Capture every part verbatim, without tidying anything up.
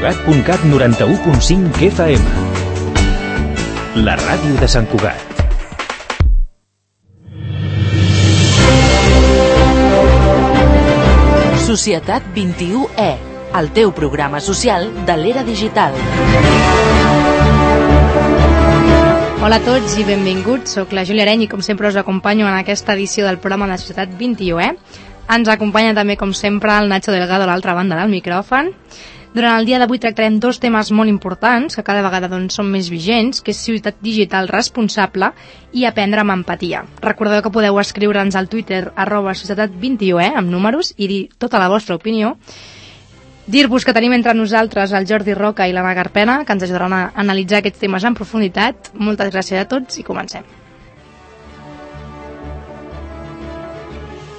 Cugat punt cat noranta-u punt cinc F M. La ràdio de Sant Cugat. Societat vint-i-u E, el teu programa social de l'era digital. Hola a tots i benvinguts, soc la Júlia Areny i com sempre us acompanyo en aquesta edició del programa de Societat vint-i-u E. Ens acompanya també com sempre el Nacho Delgado a l'altra banda del micròfon. Durant el dia d'avui tractarem dos temes molt importants que cada vegada doncs, són més vigents, que és ciutat digital responsable i aprendre amb empatia. Recordeu que podeu escriure'ns al Twitter arroba societat vint-i-u E amb números i dir tota la vostra opinió. Dir-vos que tenim entre nosaltres el Jordi Roca i l'Anna Garpena, que ens ajudaran a analitzar aquests temes en profunditat. Moltes gràcies a tots i comencem.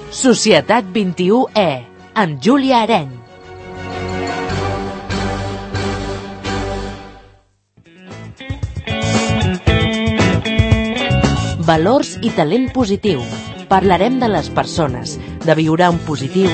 Societat vint-i-u E, amb Júlia Areny. Valors i talent positiu. Parlarem de les persones, de viure en positiu.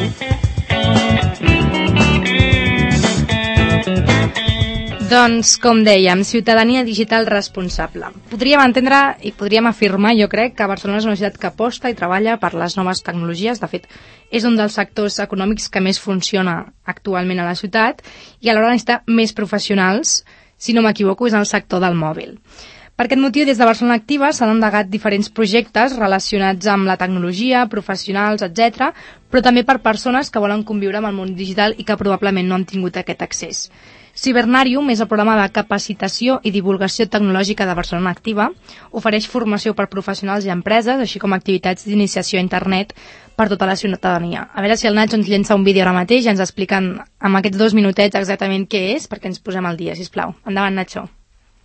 Doncs, com dèiem, ciutadania digital responsable. Podríem entendre i podríem afirmar, jo crec, que Barcelona és una ciutat que aposta i treballa per les noves tecnologies. De fet, és un dels sectors econòmics que més funciona actualment a la ciutat i alhora necessita més professionals, si no m'equivoco, és en el sector del mòbil. Per aquest motiu, des de Barcelona Activa s'han endegat diferents projectes relacionats amb la tecnologia, professionals, etcètera, però també per persones que volen conviure amb el món digital i que probablement no han tingut aquest accés. Cibernarium és el programa de capacitació i divulgació tecnològica de Barcelona Activa. Ofereix formació per professionals i empreses, així com activitats d'iniciació a internet per tota la ciutadania. A veure si el Nacho ens llença un vídeo ara mateix i ens expliquen amb aquests dos minutets exactament què és, perquè ens posem al dia, sisplau. Endavant, Nacho.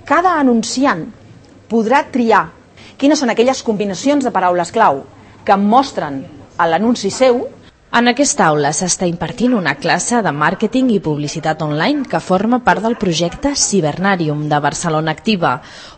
Cada anunciant podrà triar quines són aquelles combinacions de paraules clau que mostren a l'anunci seu. En aquesta aula s'està impartint una classe de màrqueting i publicitat online que forma part del projecte Cibernarium de Barcelona Activa,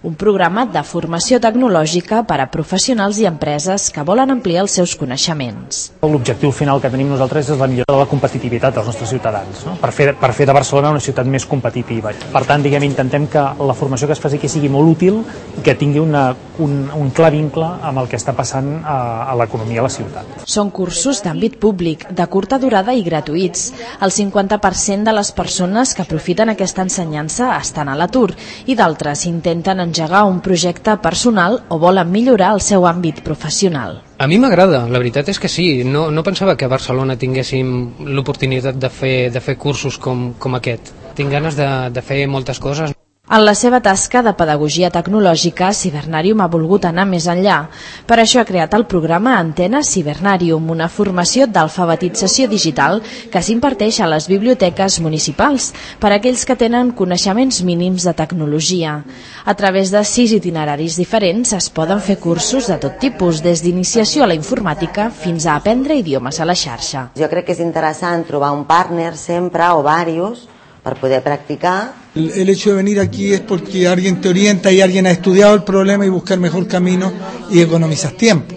un programa de formació tecnològica per a professionals i empreses que volen ampliar els seus coneixements. L'objectiu final que tenim nosaltres és la millora de la competitivitat dels nostres ciutadans, no? per, fer, per fer de Barcelona una ciutat més competitiva. Per tant, diguem, intentem que la formació que es faci aquí sigui molt útil i que tingui una, un, un clar vincle amb el que està passant a, a l'economia a la ciutat. Són cursos d'àmbit públic de curta durada i gratuïts. El cinquanta per cent de les persones que aprofiten aquesta ensenyança estan a l'atur i d'altres intenten engegar un projecte personal o volen millorar el seu àmbit professional. A mi m'agrada, la veritat és que sí. No, no pensava que a Barcelona tinguéssim l'oportunitat de fer, de fer cursos com, com aquest. Tinc ganes de, de fer moltes coses. En la seva tasca de pedagogia tecnològica, Cibernarium ha volgut anar més enllà. Per això ha creat el programa Antena Cibernarium, una formació d'alfabetització digital que s'imparteix a les biblioteques municipals per a aquells que tenen coneixements mínims de tecnologia. A través de sis itineraris diferents es poden fer cursos de tot tipus, des d'iniciació a la informàtica fins a aprendre idiomes a la xarxa. Jo crec que és interessant trobar un partner sempre o varios para poder practicar. El, el hecho de venir aquí es porque alguien te orienta y alguien ha estudiado el problema y buscar mejor camino y economizas tiempo.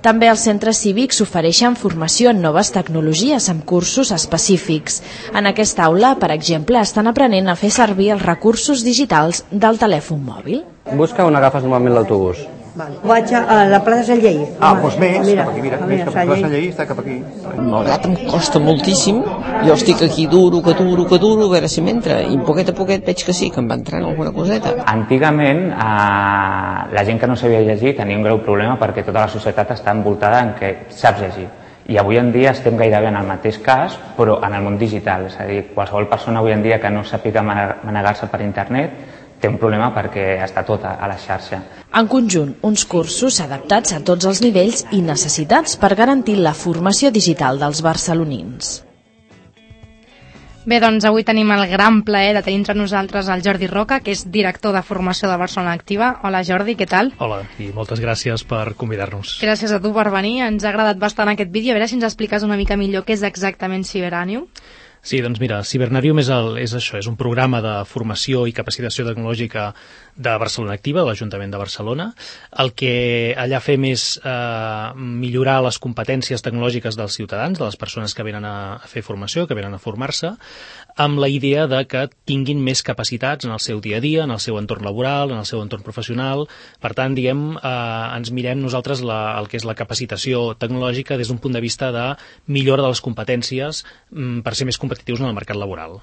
També els centres cívics ofereixen formació en noves tecnologies amb cursos específics. En aquesta aula, per exemple, estan aprenent a fer servir els recursos digitals del telèfon mòbil. Busca on agafes normalment l'autobús. Vale. Vaig a la plaça Sant Lleí. Ah, doncs més, mira, cap aquí, mira, més cap a la plaça Sant Lleí, està cap aquí. Malgrat em costa moltíssim, jo estic aquí duro, que duro, que duro, a veure si m'entra, i poquet a poquet veig que sí, que em va entrant alguna coseta. Antigament, eh, la gent que no sabia llegir tenia un greu problema perquè tota la societat està envoltada en què saps llegir. I avui en dia estem gairebé en el mateix cas, però en el món digital. És a dir, qualsevol persona avui en dia que no sàpiga manegar-se per internet té un problema perquè està tot a la xarxa. En conjunt, uns cursos adaptats a tots els nivells i necessitats per garantir la formació digital dels barcelonins. Bé, doncs avui tenim el gran plaer de tenir entre nosaltres el Jordi Roca, que és director de formació de Barcelona Activa. Hola Jordi, què tal? Hola, i moltes gràcies per convidar-nos. Gràcies a tu per venir, ens ha agradat bastant aquest vídeo. A veure si ens expliques una mica millor què és exactament Cibernarium. Sí, doncs mira, Cibernarium és, el, és això, és un programa de formació i capacitació tecnològica de Barcelona Activa, de l'Ajuntament de Barcelona. El que allà fem és eh, millorar les competències tecnològiques dels ciutadans, de les persones que venen a, a fer formació, que venen a formar-se, amb la idea de que tinguin més capacitats en el seu dia a dia, en el seu entorn laboral, en el seu entorn professional. Per tant, diguem, eh, ens mirem nosaltres la, el que és la capacitació tecnològica des d'un punt de vista de millora de les competències mm, per ser més competitius en el mercat laboral.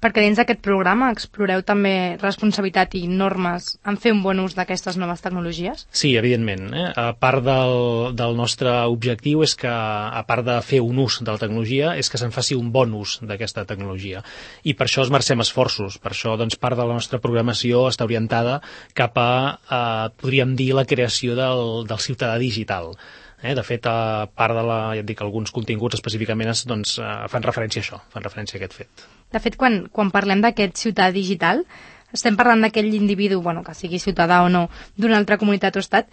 Perquè dins d'aquest programa exploreu també responsabilitat i normes en fer un bon ús d'aquestes noves tecnologies? Sí, evidentment. Eh? A part del, del nostre objectiu és que, a part de fer un ús de la tecnologia, és que se'n faci un bon ús d'aquesta tecnologia. I per això esmercem esforços. Per això, doncs, part de la nostra programació està orientada cap a, eh, podríem dir, la creació del, del ciutadà digital. Eh, de fet, a part de la, ja et dic, alguns continguts específicament doncs, eh, fan referència a això, fan referència a aquest fet. De fet, quan, quan parlem d'aquest ciutadà digital, estem parlant d'aquell individu, bueno, que sigui ciutadà o no, d'una altra comunitat o estat,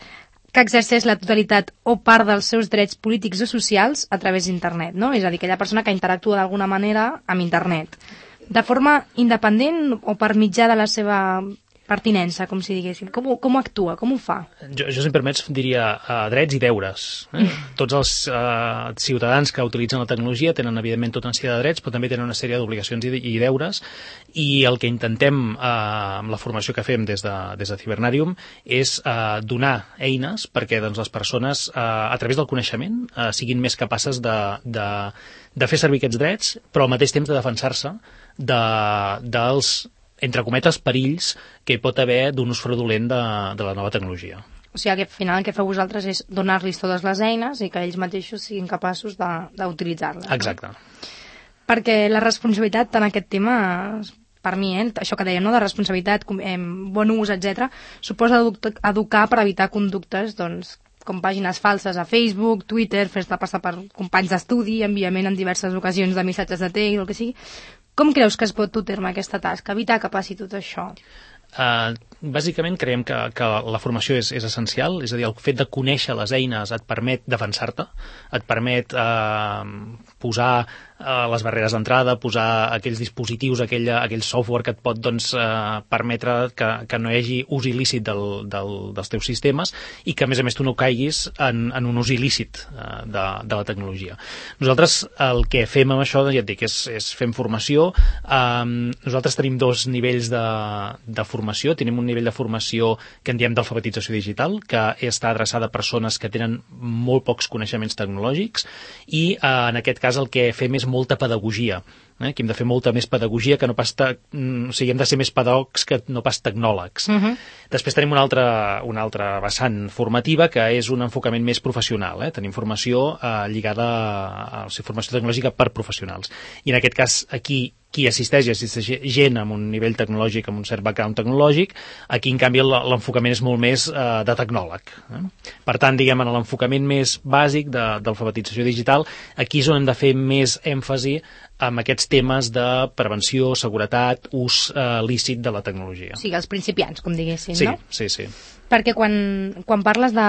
que exerceix la totalitat o part dels seus drets polítics o socials a través d'internet, no? És a dir, aquella persona que interactua d'alguna manera amb internet. De forma independent o per mitjà de la seva pertinença, com si diguéssim. Com, com actua? Com ho fa? Jo, jo si em permets, diria uh, drets i deures. Eh? Tots els uh, ciutadans que utilitzen la tecnologia tenen, evidentment, tota una sèrie de drets, però també tenen una sèrie d'obligacions i, i deures, i el que intentem uh, amb la formació que fem des de, des de Cibernarium és uh, donar eines perquè doncs, les persones, uh, a través del coneixement, uh, siguin més capaces de, de, de fer servir aquests drets, però al mateix temps de defensar-se de, dels entre cometes, perills que hi pot haver d'un ús fraudulent de, de la nova tecnologia. O sigui, que al final el que feu vosaltres és donar-los totes les eines i que ells mateixos siguin capaços d'utilitzar-les. Exacte. No? Perquè la responsabilitat en aquest tema, per mi, eh, això que dèiem, no? De responsabilitat, eh, bon ús, etcètera, suposa educar per evitar conductes, doncs, com pàgines falses a Facebook, Twitter, fer-te passar per companys d'estudi, enviament en diverses ocasions de missatges de text, el que sigui. Com creus que es pot dur a terme aquesta tasca? Evitar que passi tot això? Uh, bàsicament creiem que, que la formació és, és essencial, és a dir, el fet de conèixer les eines et permet defensar-te, et permet uh, posar uh, les barreres d'entrada, posar aquells dispositius, aquell, aquell software que et pot doncs, uh, permetre que, que no hi hagi ús il·lícit del, del, dels teus sistemes i que a més a més tu no caiguis en, en un ús il·lícit uh, de, de la tecnologia. Nosaltres el que fem amb això, ja et dic, és, és fem formació. Um, nosaltres tenim dos nivells de, de formació. Tenim un nivell de formació que en diem d'alfabetització digital, que està adreçada a persones que tenen molt pocs coneixements tecnològics i eh, en aquest cas el que fem és molta pedagogia. Eh? Que hem de fer molta més pedagogia que no pas... Te... O sigui, hem de ser més pedagogs que no pas tecnòlegs. Uh-huh. Després tenim una altra, una altra vessant formativa que és un enfocament més professional. Eh? Tenim formació eh, lligada a, a ser formació tecnològica per professionals. I en aquest cas, aquí, qui assisteix, assisteix gent amb un nivell tecnològic, amb un cert background tecnològic, aquí, en canvi, l'enfocament és molt més eh, de tecnòleg. Eh? Per tant, diguem, en l'enfocament més bàsic de, d'alfabetització digital, aquí és on hem de fer més èmfasi amb aquests temes de prevenció, seguretat, ús eh, lícit de la tecnologia. O sigui, els principiants, com diguéssim, sí, no? Sí, sí. Perquè quan, quan parles de...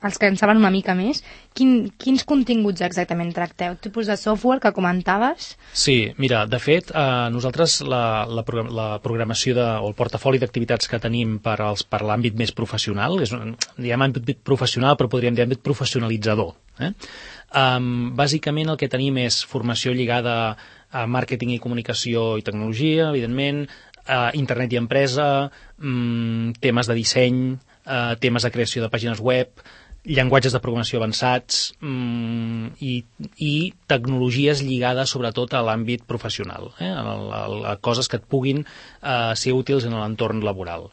els que en saben una mica més, quin, quins continguts exactament tracteu? Tipus de software que comentaves? Sí, mira, de fet, eh, nosaltres la, la, la programació de, o el portafoli d'activitats que tenim per, als, per l'àmbit més professional, és un, diem àmbit professional, però podríem dir àmbit professionalitzador. Eh? Um, bàsicament el que tenim és formació lligada a màrqueting i comunicació i tecnologia, evidentment, uh, internet i empresa, um, temes de disseny, uh, temes de creació de pàgines web, llenguatges de programació avançats mmm, i, i tecnologies lligades sobretot a l'àmbit professional, eh? a, a, a coses que et puguin eh, ser útils en l'entorn laboral.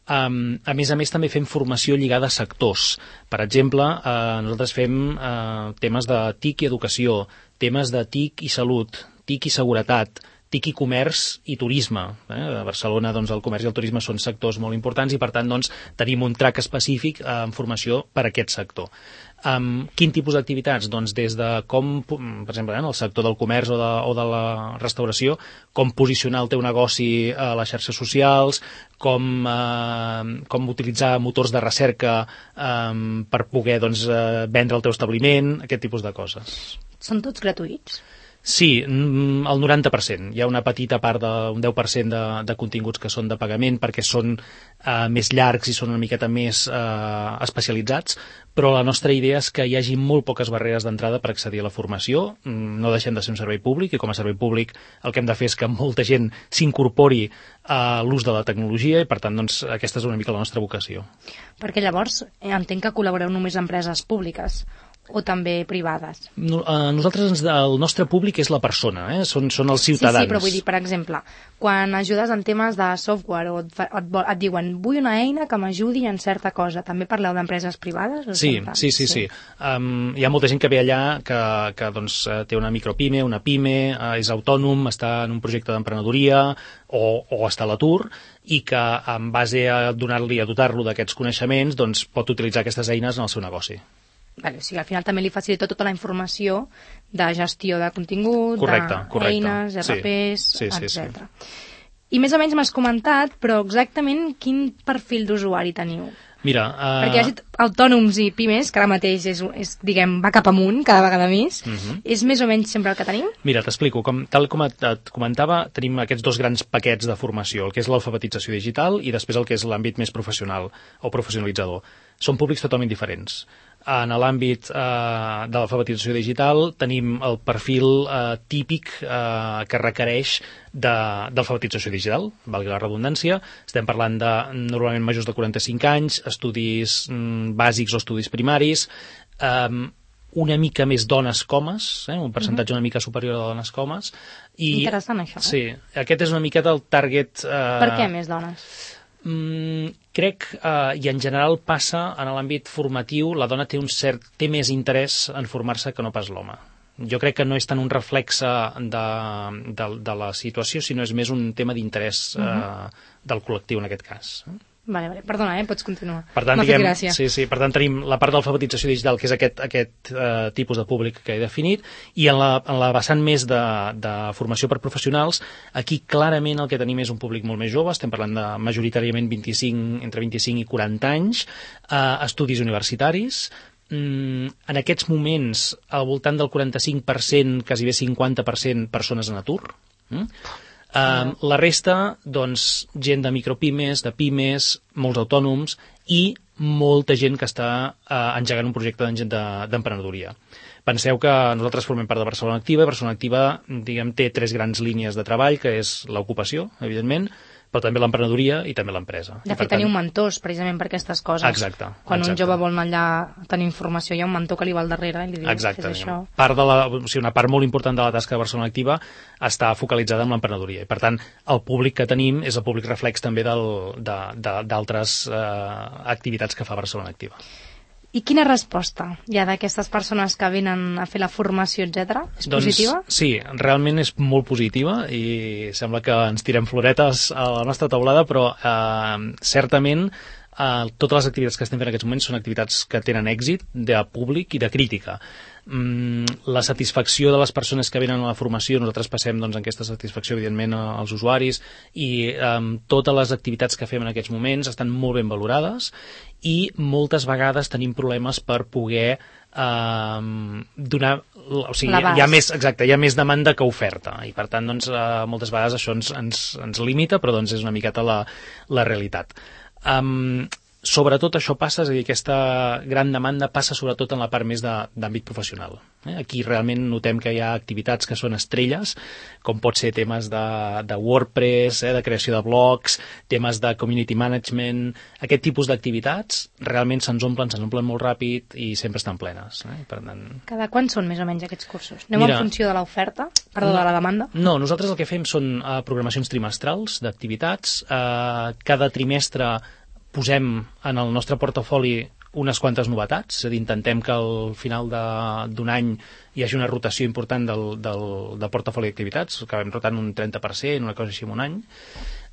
Um, a més a més també fem formació lligada a sectors. Per exemple, eh, nosaltres fem eh, temes de T I C i educació, temes de T I C i salut, T I C i seguretat, T I C i comerç i turisme. Eh? A Barcelona doncs, el comerç i el turisme són sectors molt importants i per tant doncs, tenim un track específic eh, en formació per a aquest sector. Um, quin tipus d'activitats? Doncs des de com, per exemple, en el sector del comerç o de, o de la restauració, com posicionar el teu negoci a les xarxes socials, com, eh, com utilitzar motors de recerca eh, per poder doncs, eh, vendre el teu establiment, aquest tipus de coses. Són tots gratuïts? Sí, el noranta per cent. Hi ha una petita part, de, un deu per cent de, de continguts que són de pagament perquè són uh, més llargs i són una miqueta més uh, especialitzats, però la nostra idea és que hi hagi molt poques barreres d'entrada per accedir a la formació. No deixem de ser un servei públic i com a servei públic el que hem de fer és que molta gent s'incorpori a l'ús de la tecnologia i per tant doncs, aquesta és una mica la nostra vocació. Perquè llavors entenc que col·laboreu només amb empreses públiques o també privades? No, eh, nosaltres, ens, el nostre públic és la persona, eh? són, són els ciutadans. Sí, sí, però vull dir, per exemple, quan ajudes en temes de software o et, et, et diuen vull una eina que m'ajudi en certa cosa, també parleu d'empreses privades? O sí, sí, sí, sí. sí. Um, hi ha molta gent que ve allà que, que doncs, té una micropime, una pime, uh, és autònom, està en un projecte d'emprenedoria o, o està a l'atur i que en base a donar-li, a dotar-lo d'aquests coneixements, doncs, pot utilitzar aquestes eines en el seu negoci. Vale, o sigui, al final també li facilita tota la informació de gestió de contingut, correcte, correcte. d'eines, R Ps, sí, sí, etcètera. Sí. I més o menys m'has comentat, però exactament quin perfil d'usuari teniu? Mira, uh... perquè hi hagi autònoms i pimes, que ara mateix és, és, diguem, va cap amunt cada vegada més, uh-huh. és més o menys sempre el que tenim? Mira, t'explico. Com, tal com et, et comentava, tenim aquests dos grans paquets de formació, el que és l'alfabetització digital i després el que és l'àmbit més professional o professionalitzador. Són públics totalment diferents. En l'àmbit eh, de l'alfabetització digital tenim el perfil eh, típic eh, que requereix d'alfabetització digital, valgui la redundància. Estem parlant de normalment majors de quaranta-cinc anys, estudis mm, bàsics o estudis primaris, eh, una mica més dones comes, eh, un percentatge una mica superior a dones comes. I, interessant, això. Sí, aquest és una miqueta el target... Eh, per què més dones? Mm, crec, eh, i en general passa en l'àmbit formatiu, la dona té un cert té més interès en formar-se que no pas l'home. Jo crec que no és tant un reflexe de, de, de la situació, sinó és més un tema d'interès eh, uh-huh. del col·lectiu en aquest cas. Vale, vale. Perdona, eh? Pots continuar. Per tant, M'ha diguem, fet gràcia. sí, sí, per tant, tenim la part d'alfabetització digital, que és aquest, aquest eh, tipus de públic que he definit, i en la, en la vessant més de, de formació per professionals, aquí clarament el que tenim és un públic molt més jove, estem parlant de majoritàriament vint-i-cinc, entre vint-i-cinc i quaranta anys, eh, estudis universitaris. Mm, en aquests moments, al voltant del quaranta-cinc per cent, quasi bé cinquanta per cent, persones en atur. Mm? Uh, la resta, doncs, gent de micropimes, de pimes, molts autònoms i molta gent que està uh, engegant un projecte d'emprenedoria. Penseu que nosaltres formem part de Barcelona Activa i Barcelona Activa, diguem, té tres grans línies de treball, que és l'ocupació, evidentment, però també l'emprenedoria i també l'empresa. De fet, teniu mentors, precisament, per aquestes coses. Exacte. Quan exacte. un jove vol anar allà a tenir informació, hi ha un mentor que li va al darrere i li diu, exacte, fes això. Part de la, o sigui, una part molt important de la tasca de Barcelona Activa està focalitzada en l'emprenedoria. I, per tant, el públic que tenim és el públic reflex també d'altres eh, activitats que fa Barcelona Activa. I quina resposta hi ha d'aquestes persones que venen a fer la formació, etcètera? És doncs, positiva? Sí, realment és molt positiva i sembla que ens tirem floretes a la nostra taulada, però eh, certament eh, totes les activitats que estem fent en aquests moments són activitats que tenen èxit de públic i de crítica. Mm, la satisfacció de les persones que venen a la formació, nosaltres passem doncs, aquesta satisfacció evidentment als usuaris i eh, totes les activitats que fem en aquests moments estan molt ben valorades i moltes vegades tenim problemes per poder eh, donar, o sigui, hi ha més, exacte, hi ha més demanda que oferta i per tant doncs, eh, moltes vegades això ens, ens, ens limita, però doncs és una miqueta la, la realitat. Um, sobretot això passa, és a dir, aquesta gran demanda passa sobretot en la part més d'àmbit professional. Eh? Aquí realment notem que hi ha activitats que són estrelles, com pot ser temes de, de WordPress, eh, de creació de blogs, temes de community management, aquest tipus d'activitats realment se'ns omplen, se'ns omplen molt ràpid i sempre estan plenes. Eh? Per tant... Cada quan són més o menys aquests cursos? Anem Mira, en funció de l'oferta? Perdó, no, de la demanda? No, nosaltres el que fem són uh, programacions trimestrals d'activitats. Uh, cada trimestre posem en el nostre portafoli unes quantes novetats, és a dir, intentem que al final d'un any hi hagi una rotació important del, del, del portafoli d'activitats, acabem rotant un trenta per cent, una cosa així en un any.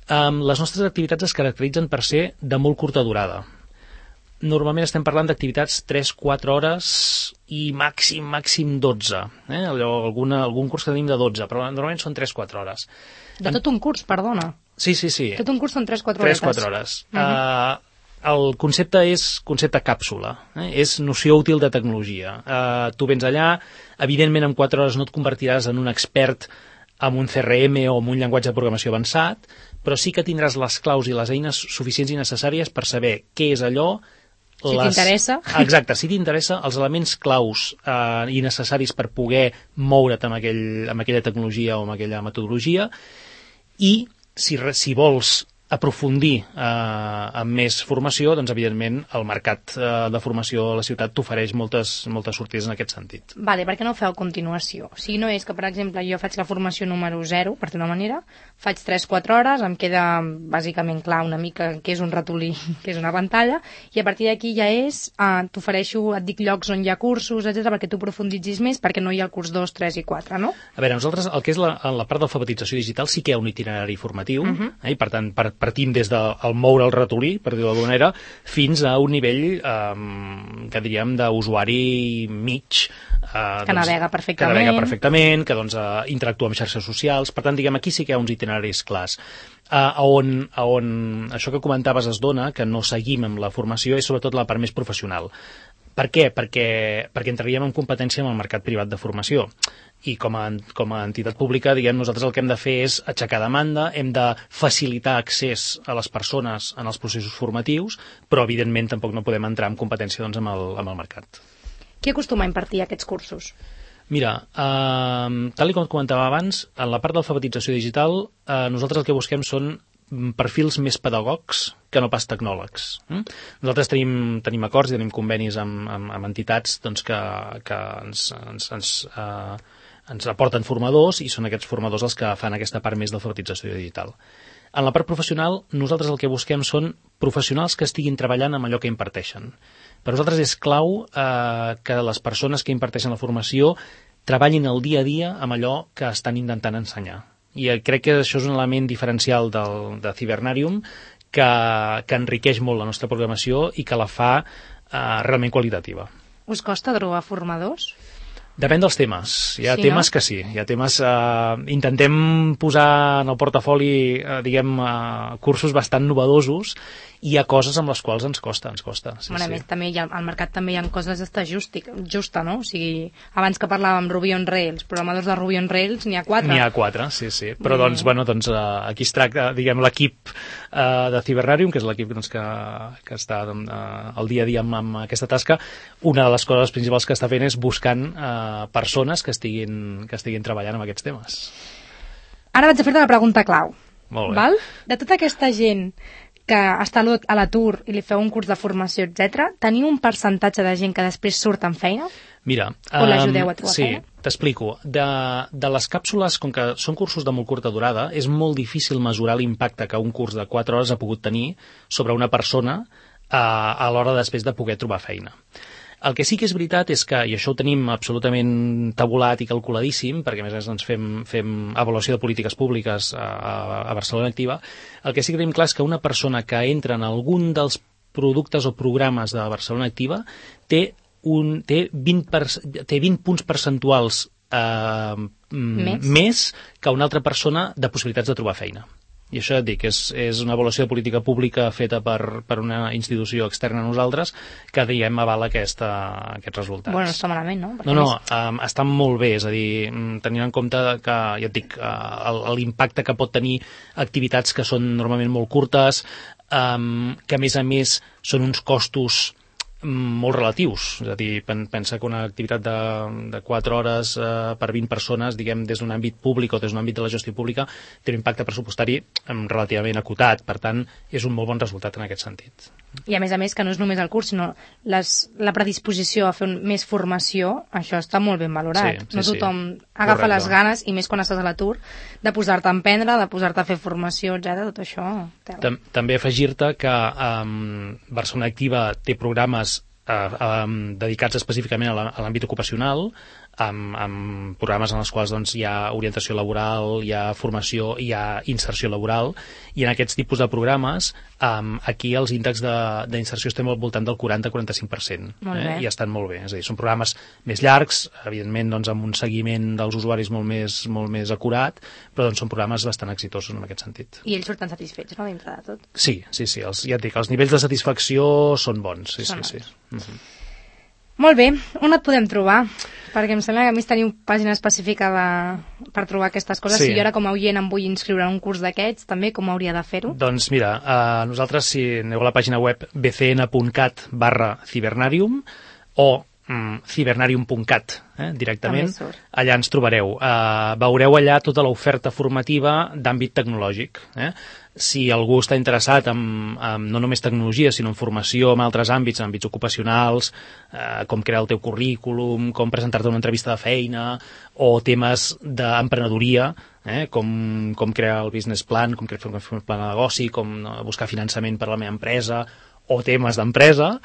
Um, les nostres activitats es caracteritzen per ser de molt curta durada. Normalment estem parlant d'activitats tres quatre hores i màxim, màxim dotze. Eh? Allò, alguna, algun curs que tenim de dotze, però normalment són tres quatre hores. De tot un curs, perdona. Sí, sí, sí. Tot un curs són tres quatre hores. tres quatre hores. Uh -huh. uh, el concepte és concepte càpsula, eh? És noció útil de tecnologia. Eh, tu vens allà, evidentment en quatre hores no et convertiràs en un expert amb un C R M o amb un llenguatge de programació avançat, però sí que tindràs les claus i les eines suficients i necessàries per saber què és allò. Si les... t'interessa. Exacte, si t'interessa, els elements claus eh, i necessaris per poder moure't amb, aquell, amb aquella tecnologia o amb aquella metodologia, i si, si vols aprofundir eh, amb més formació, doncs evidentment el mercat eh, de formació a la ciutat t'ofereix moltes, moltes sortides en aquest sentit. Vale, per què no ho feu a continuació? O sigui, no és que, per exemple, jo faig la formació número zero, per dir-ho una manera, faig tres quatre hores, em queda bàsicament clar una mica què és un ratolí, què és una pantalla, i a partir d'aquí ja és, eh, t'ofereixo, et dic llocs on hi ha cursos, etcètera, perquè tu profunditzis més, perquè no hi ha el curs dos, tres i quatre, no? A veure, nosaltres, el que és la, la part d'alfabetització digital sí que hi ha un itinerari formatiu, uh-huh. eh, i per tant, per partim des del moure el ratolí, per dir-ho d'alguna manera, fins a un nivell eh, que diríem d'usuari mig. Eh, que doncs, navega perfectament. Que navega perfectament, que doncs, eh, interactua amb xarxes socials. Per tant, diguem, aquí sí que hi ha uns itineraris clars. Uh, on, on això que comentaves es dona, que no seguim amb la formació, és sobretot la part més professional. Per què? Perquè, perquè entraríem en competència amb el mercat privat de formació. I com a, com a entitat pública, diguem, nosaltres el que hem de fer és aixecar demanda, hem de facilitar accés a les persones en els processos formatius, però evidentment tampoc no podem entrar en competència doncs, amb, el, amb el mercat. Qui acostuma a impartir aquests cursos? Mira, eh, tal com et comentava abans, en la part d'alfabetització digital, eh, nosaltres el que busquem són perfils més pedagogs que no pas tecnòlegs. Mm? Nosaltres tenim, tenim acords i tenim convenis amb, amb, amb entitats doncs, que, que ens, ens, ens, eh, ens aporten formadors, i són aquests formadors els que fan aquesta part més d'alfabetització digital. En la part professional, nosaltres el que busquem són professionals que estiguin treballant amb allò que imparteixen. Per nosaltres és clau eh, que les persones que imparteixen la formació treballin el dia a dia amb allò que estan intentant ensenyar. I crec que això és un element diferencial del, de Cibernarium que, que enriqueix molt la nostra programació i que la fa eh, realment qualitativa. Us costa trobar formadors? Depèn dels temes. Hi ha sí, temes no? que sí. Hi ha temes... Eh, intentem posar en el portafoli, eh, diguem, eh, cursos bastant novedosos, i hi ha coses amb les quals ens costa, ens costa. Sí, bueno, sí. A més, també hi ha, al mercat també hi ha coses d'esta justi, justa, no? O sigui, abans que parlàvem Ruby on Rails, programadors de Ruby on Rails, n'hi ha quatre. N'hi ha quatre, sí, sí. Però, mm. doncs, bueno, doncs, eh, aquí es tracta, diguem, l'equip eh, de Cibernarium, que és l'equip doncs, que, que està doncs, eh, el dia a dia amb, amb aquesta tasca. Una de les coses principals que està fent és buscant eh, persones que estiguin, que estiguin treballant amb aquests temes. Ara vaig a fer-te la pregunta clau. Molt bé. Val? De tota aquesta gent que està a l'atur i li feu un curs de formació, etcètera, teniu un percentatge de gent que després surt en feina? Mira, o l'ajudeu a trobar sí, feina? Sí, t'explico. De, de les càpsules, com que són cursos de molt curta durada, és molt difícil mesurar l'impacte que un curs de quatre hores ha pogut tenir sobre una persona a, a l'hora després de poder trobar feina. El que sí que és veritat és que, i això ho tenim absolutament tabulat i calculadíssim, perquè a més a més ens fem, fem avaluació de polítiques públiques a, a Barcelona Activa, el que sí que tenim clar és que una persona que entra en algun dels productes o programes de Barcelona Activa té, un, té, vint, per, té vint punts percentuals eh, més? més que una altra persona de possibilitats de trobar feina. I això et dic, és, és una avaluació de política pública feta per, per una institució externa a nosaltres que, diguem, avala aquesta, aquests resultats. Bueno, no està malament, no? Perquè no, no, més... um, està molt bé, és a dir, tenint en compte que, ja et dic, uh, l'impacte que pot tenir activitats que són normalment molt curtes, um, que a més a més són uns costos molt relatius, és a dir, pensa que una activitat de, de quatre hores eh, per vint persones, diguem, des d'un àmbit públic o des d'un àmbit de la gestió pública, té un impacte pressupostari relativament acotat, per tant, és un molt bon resultat en aquest sentit. I a més a més que no és només el curs, sinó les, la predisposició a fer un, més formació, això està molt ben valorat. Sí, sí, no tothom sí. agafa Correcte. les ganes, i més quan estàs a l'atur, de posar-te a emprendre, de posar-te a fer formació, etcètera. Tot això... Tam també afegir-te que um, Barcelona Activa té programes Uh, um, dedicats específicament a l'àmbit ocupacional, amb, amb programes en els quals doncs, hi ha orientació laboral, hi ha formació, hi ha inserció laboral, i en aquests tipus de programes um, aquí els índexs d'inserció estem al voltant del quaranta a quaranta-cinc per cent, eh? I estan molt bé. És a dir, són programes més llargs, evidentment doncs, amb un seguiment dels usuaris molt més, molt més acurat, però doncs, són programes bastant exitosos en aquest sentit. I ells surten satisfets, no?, dintre de tot? Sí, sí, sí. Els, ja et dic, els nivells de satisfacció són bons. Sí, són sí, sí. Uh -huh. Molt bé, on et podem trobar? Perquè em sembla que a més teniu pàgina específica de, per trobar aquestes coses. Sí. Si jo ara com a oient em vull inscriure en un curs d'aquests, també com hauria de fer-ho? Doncs mira, uh, nosaltres si aneu a la pàgina web b c n punt cat barra cibernarium o mm, cibernarium punt cat eh, directament, allà ens trobareu. Uh, veureu allà tota l'oferta formativa d'àmbit tecnològic. Eh? Si algú està interessat en, en no només tecnologia, sinó en formació en altres àmbits, en àmbits ocupacionals, eh, com crear el teu currículum, com presentar-te una entrevista de feina, o temes d'emprenedoria, eh, com, com crear el business plan, com fer un plan de negoci, com buscar finançament per a la meva empresa, o temes d'empresa,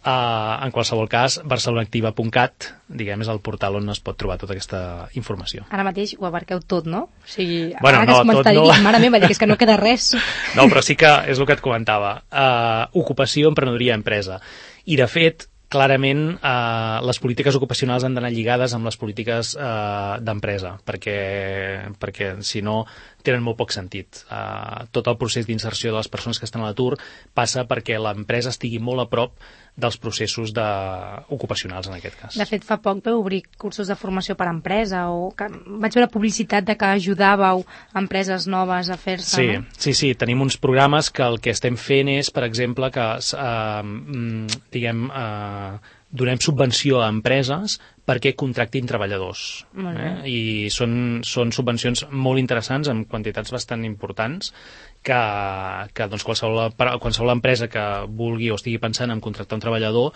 eh, en qualsevol cas, barcelonactiva punt cat, diguem, és el portal on es pot trobar tota aquesta informació. Ara mateix ho abarqueu tot, no? O sigui, bueno, ara no, que es tot no. Dir, mare meva, que és que no queda res. No, però sí que és el que et comentava. Uh, ocupació, emprenedoria, empresa. I, de fet, clarament eh, les polítiques ocupacionals han d'anar lligades amb les polítiques eh, d'empresa, perquè, perquè si no tenen molt poc sentit. Eh, tot el procés d'inserció de les persones que estan a l'atur passa perquè l'empresa estigui molt a prop dels processos de... ocupacionals, en aquest cas. De fet, fa poc vau obrir cursos de formació per a empresa, o que vaig veure publicitat de que ajudàveu empreses noves a fer-se, sí, no? Sí, sí, tenim uns programes que el que estem fent és, per exemple, que eh, diguem, eh, donem subvenció a empreses perquè contractin treballadors. Eh? I són, són subvencions molt interessants, amb quantitats bastant importants, que, que doncs, qualsevol, qualsevol empresa que vulgui o estigui pensant en contractar un treballador,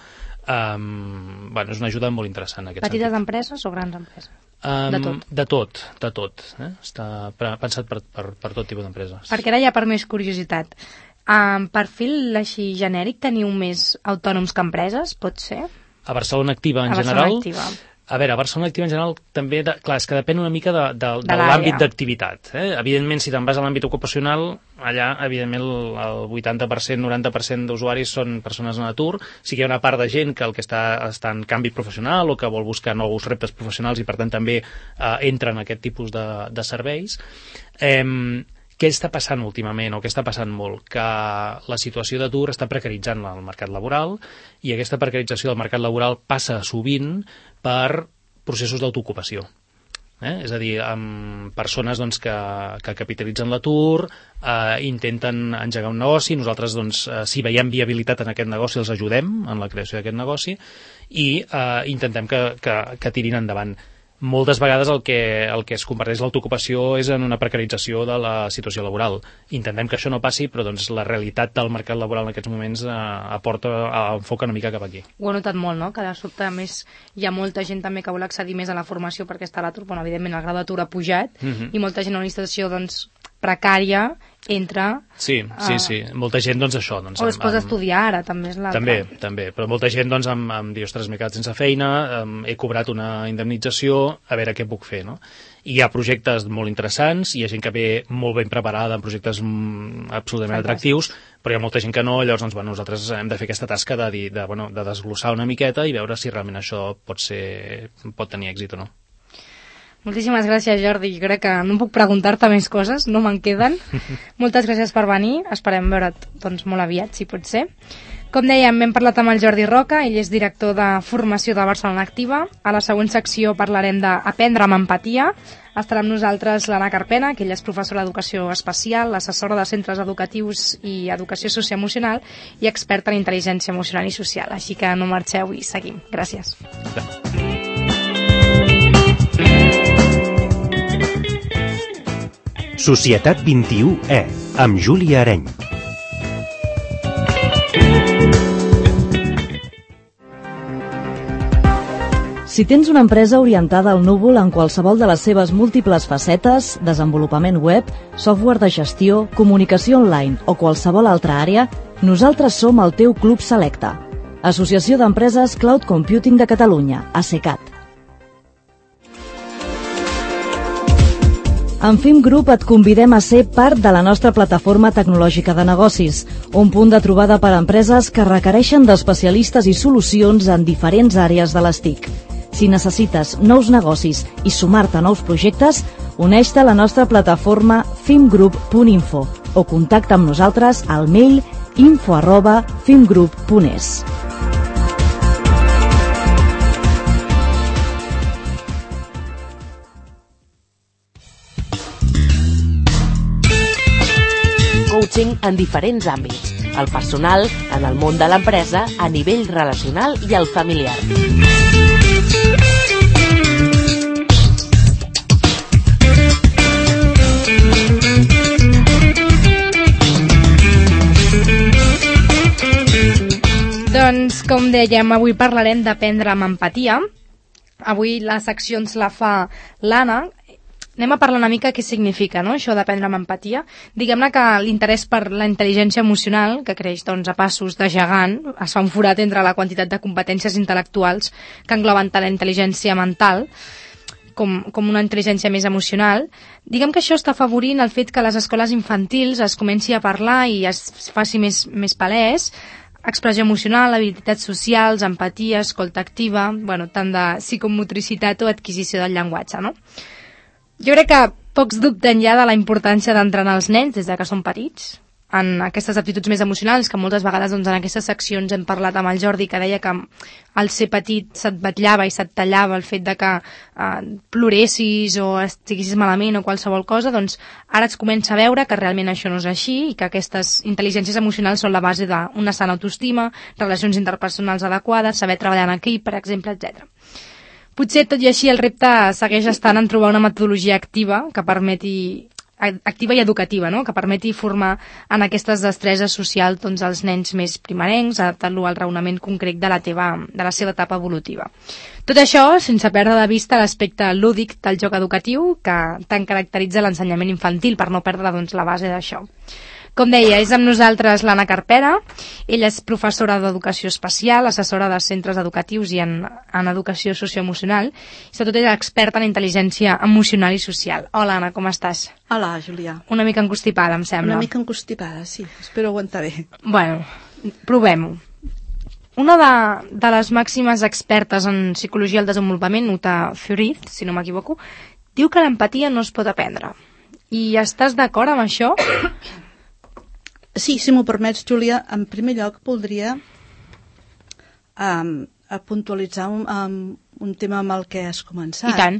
um, bueno, és una ajuda molt interessant en aquest Petites sentit. empreses o grans empreses? Um, de tot? De tot, de tot. Eh? Està pensat per, per, per tot tipus d'empreses. Perquè ara ja per més curiositat, um, perfil així genèric teniu més autònoms que empreses, pot ser? A Barcelona Activa en a general... Barcelona Activa. A veure, a Barcelona Activa en general també, de, clar, és que depèn una mica de, de, de, de l'àmbit d'activitat. Eh? Evidentment, si te'n vas a l'àmbit ocupacional, allà, evidentment, el, el vuitanta per cent, noranta per cent d'usuaris són persones en atur. Sí que hi ha una part de gent que el que està, està en canvi professional o que vol buscar nous reptes professionals i, per tant, també eh, entra en aquest tipus de, de serveis. Eh, Què està passant últimament, o què està passant molt? Que la situació d'atur està precaritzant el mercat laboral, i aquesta precarització del mercat laboral passa sovint per processos d'autoocupació. Eh? És a dir, amb persones doncs, que, que capitalitzen l'atur, eh, intenten engegar un negoci, nosaltres, doncs, eh, si veiem viabilitat en aquest negoci, els ajudem en la creació d'aquest negoci, i eh, intentem que, que, que tirin endavant. Moltes vegades el que, el que es converteix l'autoocupació és en una precarització de la situació laboral. Intentem que això no passi, però doncs, la realitat del mercat laboral en aquests moments eh, aporta, enfoca una mica cap aquí. Ho he notat molt, no? Que de sobte, a més, hi ha molta gent també que vol accedir més a la formació perquè està a l'atur. Bueno, evidentment, el grau d'atur ha pujat, uh-huh. i molta gent en una situació, doncs, precària entra... Sí, sí, uh, sí. Molta gent, doncs, això... Doncs, o es posa a estudiar ara, també és l'altre. També, també. Però molta gent, doncs, em, em diu, ostres, m'he quedat sense feina, em, he cobrat una indemnització, a veure què puc fer, no? I hi ha projectes molt interessants, hi ha gent que ve molt ben preparada en projectes mm, absolutament atractius, però hi ha molta gent que no, llavors, doncs, bueno, nosaltres hem de fer aquesta tasca de, dir, de, bueno, de desglossar una miqueta i veure si realment això pot ser, pot tenir èxit o no. Moltíssimes gràcies, Jordi. Jo crec que no puc preguntar-te més coses, no me'n queden. Moltes gràcies per venir. Esperem veure't, doncs, molt aviat, si pot ser. Com dèiem, hem parlat amb el Jordi Roca, ell és director de formació de Barcelona Activa. A la següent secció parlarem d'Aprendre amb empatia. Estarà amb nosaltres l'Anna Carpena, que ella és professora d'educació especial, assessora de centres educatius i educació socioemocional i experta en intel·ligència emocional i social. Així que no marxeu i seguim. Gràcies. Societat vint-i-u E, amb Júlia Areny. Si tens una empresa orientada al núvol en qualsevol de les seves múltiples facetes, desenvolupament web, software de gestió, comunicació online o qualsevol altra àrea, nosaltres som el teu Club Selecta. Associació d'Empreses Cloud Computing de Catalunya, ASECAT. En F I M Group et convidem a ser part de la nostra plataforma tecnològica de negocis, un punt de trobada per a empreses que requereixen d'especialistes i solucions en diferents àrees de les T I C. Si necessites nous negocis i sumar-te a nous projectes, uneix-te a la nostra plataforma fimgroup punt info o contacta amb nosaltres al mail info arroba fimgroup punt es. Coaching en diferents àmbits, el personal, en el món de l'empresa, a nivell relacional i el familiar. Doncs, com dèiem, avui parlarem d'aprendre amb empatia. Avui la secció ens la fa l'Anna. Anem a parlar una mica què significa, no?, això d'aprendre amb empatia. Diguem-ne que l'interès per la intel·ligència emocional, que creix doncs, a passos de gegant, es fa un forat entre la quantitat de competències intel·lectuals que engloben tant la intel·ligència mental com, com una intel·ligència més emocional. Diguem que això està afavorint el fet que a les escoles infantils es comenci a parlar i es faci més, més palès expressió emocional, habilitats socials, empatia, escolta activa, bueno, tant de psicomotricitat o adquisició del llenguatge, no? Jo crec que pocs dubten ja de la importància d'entrenar els nens des de que són petits en aquestes aptituds més emocionals, que moltes vegades doncs, en aquestes seccions hem parlat amb el Jordi, que deia que al ser petit se't vetllava i se't tallava el fet de que eh, ploressis o estiguessis malament o qualsevol cosa, doncs ara es comença a veure que realment això no és així i que aquestes intel·ligències emocionals són la base d'una sana autoestima, relacions interpersonals adequades, saber treballar en equip, per exemple, etcètera. Potser, tot i així, el repte segueix estant en trobar una metodologia activa que permeti activa i educativa, no?, que permeti formar en aquestes destreses socials doncs, els nens més primerencs, adaptant-lo al raonament concret de la, teva, de la seva etapa evolutiva. Tot això sense perdre de vista l'aspecte lúdic del joc educatiu que tant caracteritza l'ensenyament infantil, per no perdre doncs, la base d'això. Com deia, és amb nosaltres l'Anna Carpera. Ella és professora d'educació especial, assessora de centres educatius i en, en educació socioemocional, i sobretot és experta en intel·ligència emocional i social. Hola, Anna, com estàs? Hola, Julià. Una mica encostipada, em sembla. Una mica encostipada, sí. Espero aguantar bé. Bueno, provem-ho. Una de, de les màximes expertes en psicologia del desenvolupament, Uta Frith, si no m'equivoco, diu que l'empatia no es pot aprendre. I estàs d'acord amb això? Sí, si m'ho permets, Júlia, en primer lloc voldria um, a puntualitzar un, um, un tema amb el que has començat. I tant.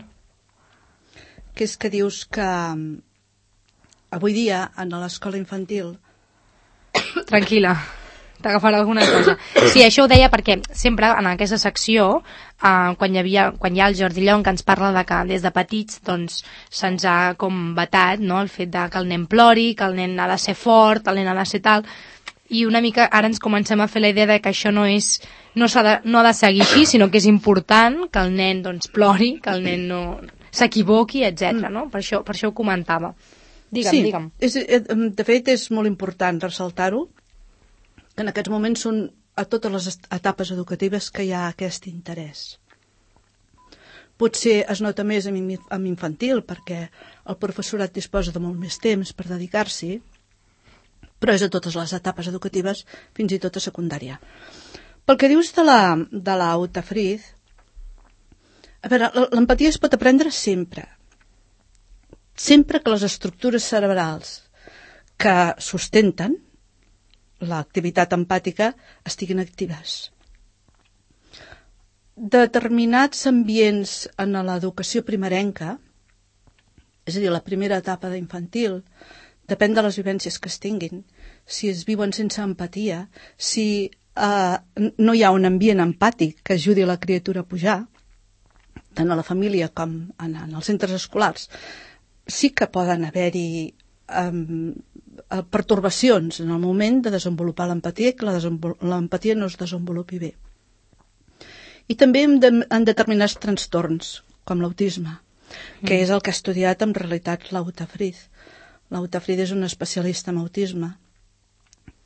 Que és que dius que um, avui dia, en l'escola infantil... Tranquil·la, t'agafarà alguna cosa. Sí, això ho deia perquè sempre en aquesta secció, eh, quan, hi havia, quan hi ha el Jordi Llong, que ens parla de que des de petits doncs, se'ns ha com vetat, no?, el fet de que el nen plori, que el nen ha de ser fort, el nen ha de ser tal, i una mica ara ens comencem a fer la idea de que això no és no, s'ha de, no ha de seguir així, sinó que és important que el nen doncs, plori, que el nen no s'equivoqui, etcètera. No? Per això, per això ho comentava. Digue'm, sí, digue'm. És, de fet és molt important ressaltar-ho, que en aquests moments són a totes les etapes educatives que hi ha aquest interès. Potser es nota més amb infantil perquè el professorat disposa de molt més temps per dedicar-s'hi, però és a totes les etapes educatives, fins i tot a secundària. Pel que dius de la, de la Uta Frith, a veure, l'empatia es pot aprendre sempre. Sempre que les estructures cerebrals que sustenten l'activitat empàtica estiguin actives. Determinats ambients en l'educació primerenca, és a dir, la primera etapa d'infantil, depèn de les vivències que es tinguin. Si es viuen sense empatia, si eh, no hi ha un ambient empàtic que ajudi a la criatura a pujar, tant a la família com en, en els centres escolars, sí que poden haver-hi um, pertorbacions en el moment de desenvolupar l'empatia i que l'empatia no es desenvolupi bé. I també en, de, en determinats trastorns, com l'autisme, que mm. és el que ha estudiat en realitat la Uta Frith. La Uta Frith és una especialista en autisme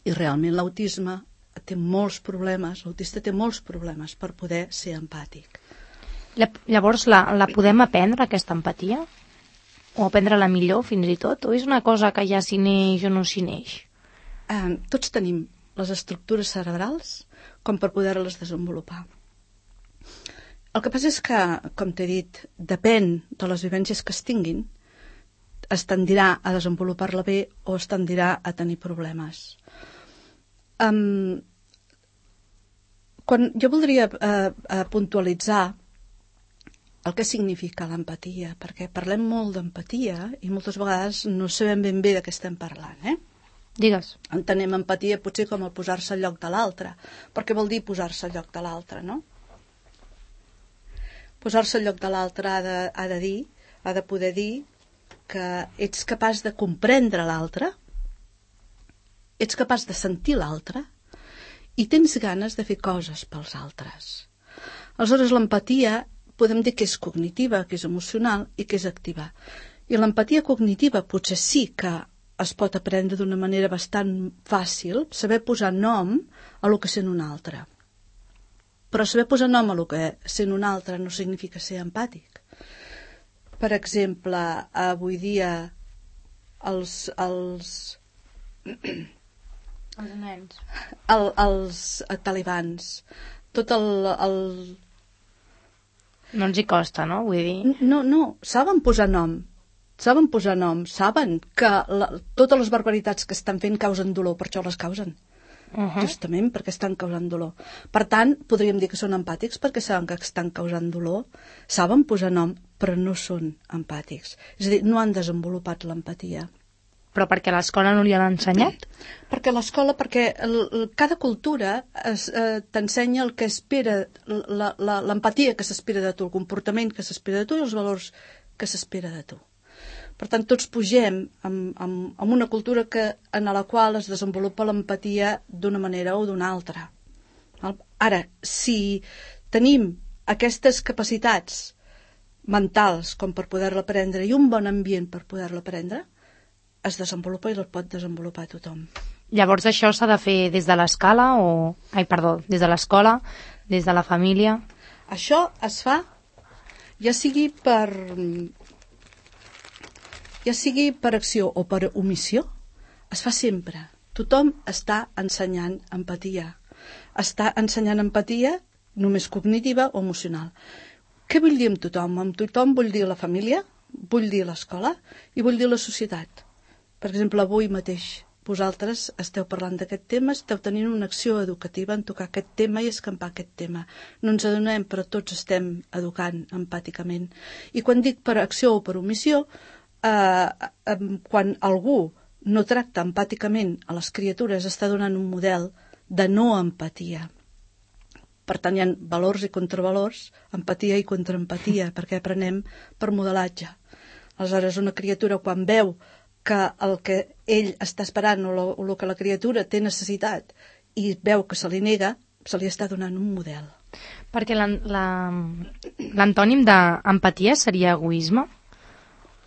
i realment l'autisme té molts problemes, l'autista té molts problemes per poder ser empàtic. La, llavors, la, la podem aprendre, aquesta empatia? O aprendre-la millor, fins i tot? O és una cosa que ja s'hi neix o no s'hi neix? Eh, tots tenim les estructures cerebrals com per poder-les desenvolupar. El que passa és que, com t'he dit, depèn de les vivències que es tinguin, es tendirà a desenvolupar-la bé o es tendirà a tenir problemes. Um, quan jo voldria uh, uh, puntualitzar el que significa l'empatia, perquè parlem molt d'empatia i moltes vegades no sabem ben bé de què estem parlant, eh? Digues. Entenem empatia potser com el posar-se al lloc de l'altre. Per què vol dir posar-se al lloc de l'altre, no? Posar-se al lloc de l'altre ha de, ha de dir, ha de poder dir que ets capaç de comprendre l'altre, ets capaç de sentir l'altre i tens ganes de fer coses pels altres. Aleshores, l'empatia podem dir que és cognitiva, que és emocional i que és activa. I l'empatia cognitiva potser sí que es pot aprendre d'una manera bastant fàcil, saber posar nom a lo que sent un altre. Però saber posar nom a lo que sent un altre no significa ser empàtic. Per exemple, avui dia els... els... Els nens. El, els talibans, tot el, el... No ens hi costa, no? Vull dir... No, no, saben posar nom. Saben posar nom, saben que la, totes les barbaritats que estan fent causen dolor, per això les causen. Uh-huh. Justament perquè estan causant dolor. Per tant, podríem dir que són empàtics perquè saben que estan causant dolor, saben posar nom, però no són empàtics. És a dir, no han desenvolupat l'empatia. Però perquè a l'escola no li han ensenyat? Perquè a l'escola, perquè el, el, cada cultura es, eh, t'ensenya el que espera, l'empatia que s'espera de tu, el comportament que s'espera de tu i els valors que s'espera de tu. Per tant, tots pugem amb, amb, amb una cultura que, en la qual es desenvolupa l'empatia d'una manera o d'una altra. Ara, si tenim aquestes capacitats mentals com per poder-la aprendre i un bon ambient per poder-la aprendre, es desenvolupa i el pot desenvolupar tothom. Llavors això s'ha de fer des de l'escala o... Ai, perdó, des de l'escola, des de la família? Això es fa ja sigui per... ja sigui per acció o per omissió, es fa sempre. Tothom està ensenyant empatia. Està ensenyant empatia només cognitiva o emocional. Què vull dir amb tothom? Amb tothom vull dir la família, vull dir l'escola i vull dir la societat. Per exemple, avui mateix vosaltres esteu parlant d'aquest tema, esteu tenint una acció educativa en tocar aquest tema i escampar aquest tema. No ens adonem, però tots estem educant empàticament. I quan dic per acció o per omissió, Eh, eh, quan algú no tracta empàticament a les criatures està donant un model de no empatia. Per tant, hi ha valors i contravalors, empatia i contraempatia, perquè aprenem per modelatge. Aleshores, una criatura quan veu que el que ell està esperant o el que la criatura té necessitat i veu que se li nega, se li està donant un model. Perquè l'antònim d'empatia seria egoisme?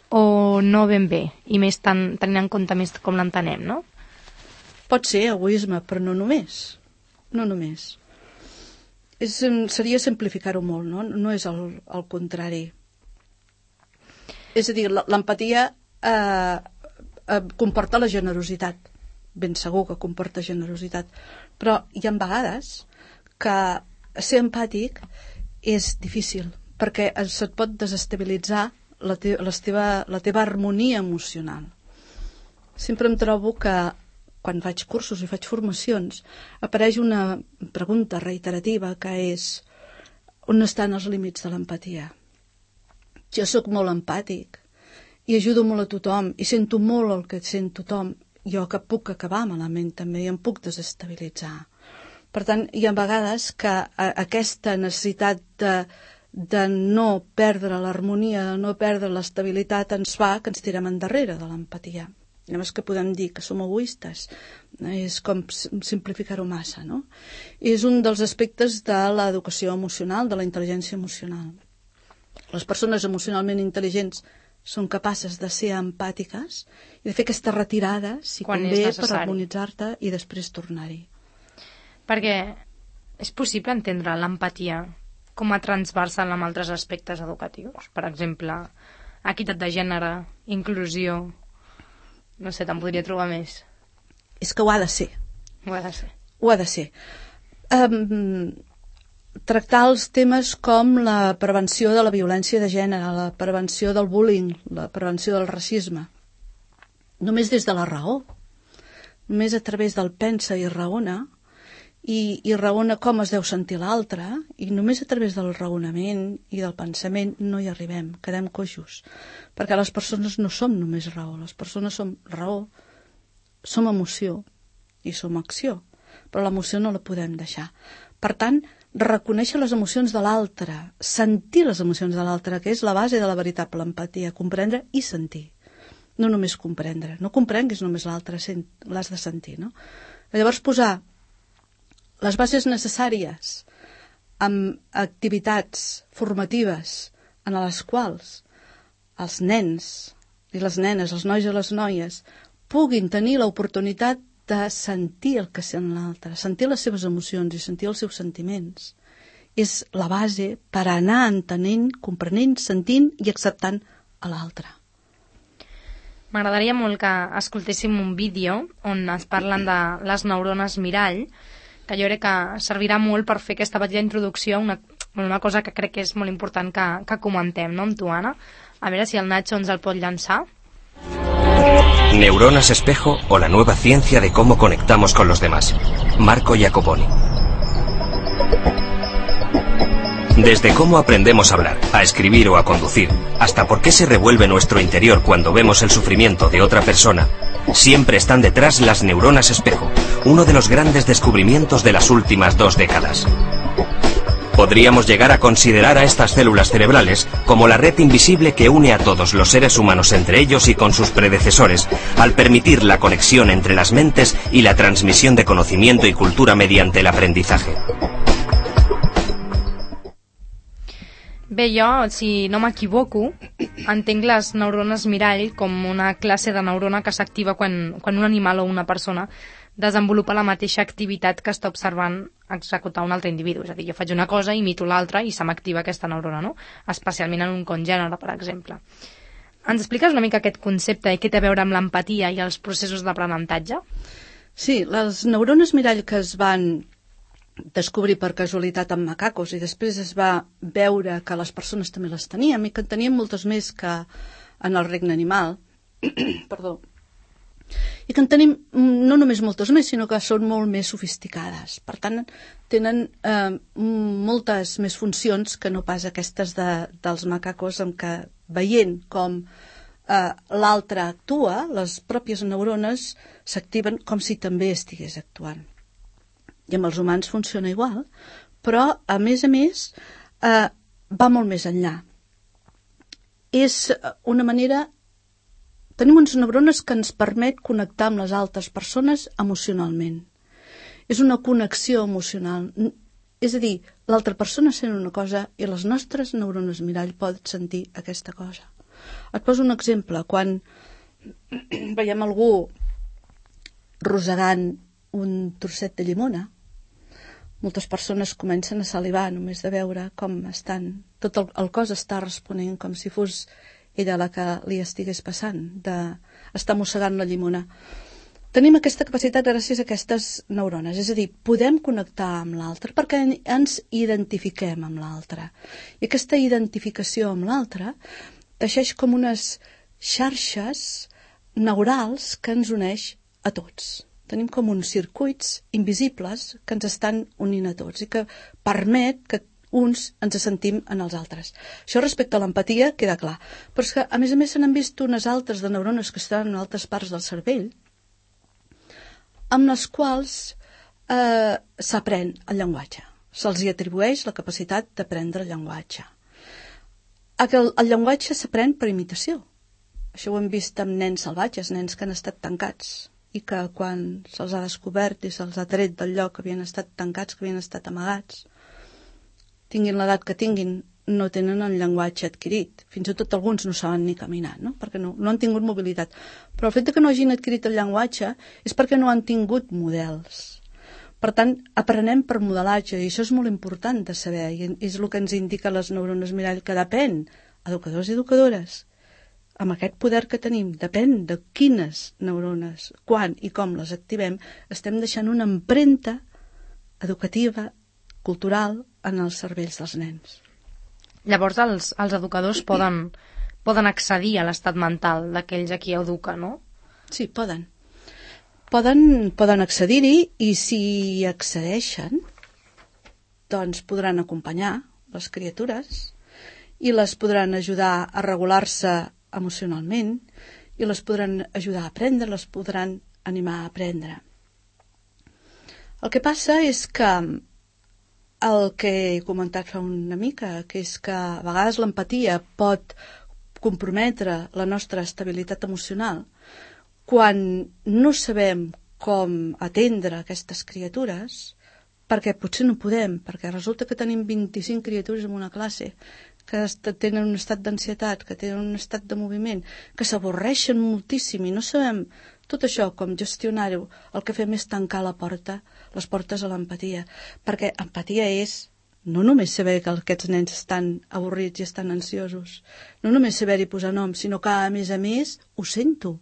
O no ben bé, i més tan, tenint en compte més com l'entenem, no? Pot ser egoisme, però no només. No només. És, seria simplificar-ho molt, no? No és el, el contrari. És a dir, l'empatia eh, eh, comporta la generositat. Ben segur que comporta generositat. Però hi ha vegades que ser empàtic és difícil, perquè se't pot desestabilitzar La, te la, teva, la teva harmonia emocional. Sempre em trobo que quan faig cursos i faig formacions apareix una pregunta reiterativa que és: on estan els límits de l'empatia? Jo sóc molt empàtic i ajudo molt a tothom i sento molt el que sent tothom, jo que puc acabar malament també i em puc desestabilitzar. Per tant, hi ha vegades que a, aquesta necessitat de de no perdre l'harmonia, de no perdre l'estabilitat, ens fa que ens tirem endarrere de l'empatia. Llavors que podem dir que som egoistes, és com simplificar-ho massa, no? És un dels aspectes de l'educació emocional, de la intel·ligència emocional. Les persones emocionalment intel·ligents són capaces de ser empàtiques i de fer aquesta retirada, si convé, per harmonitzar-te i després tornar-hi. Perquè és possible entendre l'empatia com a transversal amb altres aspectes educatius. Per exemple, equitat de gènere, inclusió... No sé, te'n podria trobar més. És que ho ha de ser. Ho ha de ser. Ho ha de ser. Um, tractar els temes com la prevenció de la violència de gènere, la prevenció del bullying, la prevenció del racisme. Només des de la raó. Només a través del pensa i raona, i, i raona com es deu sentir l'altre, i només a través del raonament i del pensament no hi arribem, quedem coixos. Perquè les persones no som només raó, les persones som raó, som emoció i som acció, però l'emoció no la podem deixar. Per tant, reconèixer les emocions de l'altre, sentir les emocions de l'altre, que és la base de la veritable empatia, comprendre i sentir. No només comprendre, no comprenguis només l'altre, l'has de sentir, no? Llavors posar les bases necessàries amb activitats formatives en les quals els nens i les nenes, els nois i les noies, puguin tenir l'oportunitat de sentir el que sent l'altre, sentir les seves emocions i sentir els seus sentiments. És la base per anar entenent, comprenent, sentint i acceptant a l'altre. M'agradaria molt que escoltéssim un vídeo on es parlen de les neurones mirall, que jo crec que servirà molt per fer aquesta petita introducció a una, una cosa que crec que és molt important que, que comentem, no, amb tu, Anna? A veure si el Nacho ens el pot llançar. Neuronas espejo o la nueva ciencia de cómo conectamos con los demás. Marco Iacoboni. Desde cómo aprendemos a hablar, a escribir o a conducir, hasta por qué se revuelve nuestro interior cuando vemos el sufrimiento de otra persona, siempre están detrás las neuronas espejo, uno de los grandes descubrimientos de las últimas dos décadas. Podríamos llegar a considerar a estas células cerebrales como la red invisible que une a todos los seres humanos entre ellos y con sus predecesores, al permitir la conexión entre las mentes y la transmisión de conocimiento y cultura mediante el aprendizaje. Bé, jo, si no m'equivoco, entenc les neurones mirall com una classe de neurona que s'activa quan, quan un animal o una persona desenvolupa la mateixa activitat que està observant executar un altre individu. És a dir, jo faig una cosa, imito l'altra i se m'activa aquesta neurona, no? Especialment en un congènere, per exemple. Ens expliques una mica aquest concepte i què té a veure amb l'empatia i els processos d'aprenentatge? Sí, les neurones mirall que es van descobrir per casualitat amb macacos i després es va veure que les persones també les teníem i que en teníem moltes més que en el regne animal perdó i que en tenim no només moltes més sinó que són molt més sofisticades, per tant tenen eh, moltes més funcions que no pas aquestes de, dels macacos en què veient com eh, l'altre actua, les pròpies neurones s'activen com si també estigués actuant. I amb els humans funciona igual, però, a més a més, eh, va molt més enllà. És una manera... Tenim unes neurones que ens permet connectar amb les altres persones emocionalment. És una connexió emocional. És a dir, l'altra persona sent una cosa i les nostres neurones mirall poden sentir aquesta cosa. Et poso un exemple. Quan veiem algú rosegant un trosset de llimona, moltes persones comencen a salivar només de veure com estan. Tot el, el cos està responent com si fos ella la que li estigués passant, d'estar mossegant la llimona. Tenim aquesta capacitat gràcies a aquestes neurones, és a dir, podem connectar amb l'altre perquè ens identifiquem amb l'altre. I aquesta identificació amb l'altre teixeix com unes xarxes neurals que ens uneix a tots. Tenim com uns circuits invisibles que ens estan unint a tots i que permet que uns ens sentim en els altres. Això respecte a l'empatia queda clar. Però és que, a més a més, se n'han vist unes altres de neurones que estan en altres parts del cervell amb les quals eh, s'aprèn el llenguatge. Se'ls hi atribueix la capacitat d'aprendre el llenguatge. El, el llenguatge s'aprèn per imitació. Això ho hem vist amb nens salvatges, nens que han estat tancats i que quan se'ls ha descobert i se'ls ha tret del lloc que havien estat tancats, que havien estat amagats, tinguin l'edat que tinguin, no tenen el llenguatge adquirit. Fins i tot alguns no saben ni caminar, no? Perquè no, no han tingut mobilitat. Però el fet que no hagin adquirit el llenguatge és perquè no han tingut models. Per tant, aprenem per modelatge, i això és molt important de saber, i és el que ens indica les neurones mirall, que depèn, educadors i educadores, amb aquest poder que tenim, depèn de quines neurones, quan i com les activem, estem deixant una empremta educativa, cultural, en els cervells dels nens. Llavors els, els educadors poden, poden accedir a l'estat mental d'aquells a qui educa, no? Sí, poden. Poden, poden accedir-hi i si hi accedeixen, doncs podran acompanyar les criatures i les podran ajudar a regular-se emocionalment i les podran ajudar a aprendre, les podran animar a aprendre. El que passa és que el que he comentat fa una mica, que és que a vegades l'empatia pot comprometre la nostra estabilitat emocional quan no sabem com atendre aquestes criatures, perquè potser no podem, perquè resulta que tenim vint-i-cinc criatures en una classe que tenen un estat d'ansietat, que tenen un estat de moviment, que s'avorreixen moltíssim i no sabem tot això, com gestionar-ho. El que fem és tancar la porta, les portes a l'empatia, perquè empatia és no només saber que aquests nens estan avorrits i estan ansiosos, no només saber-hi posar nom, sinó que a més a més ho sento.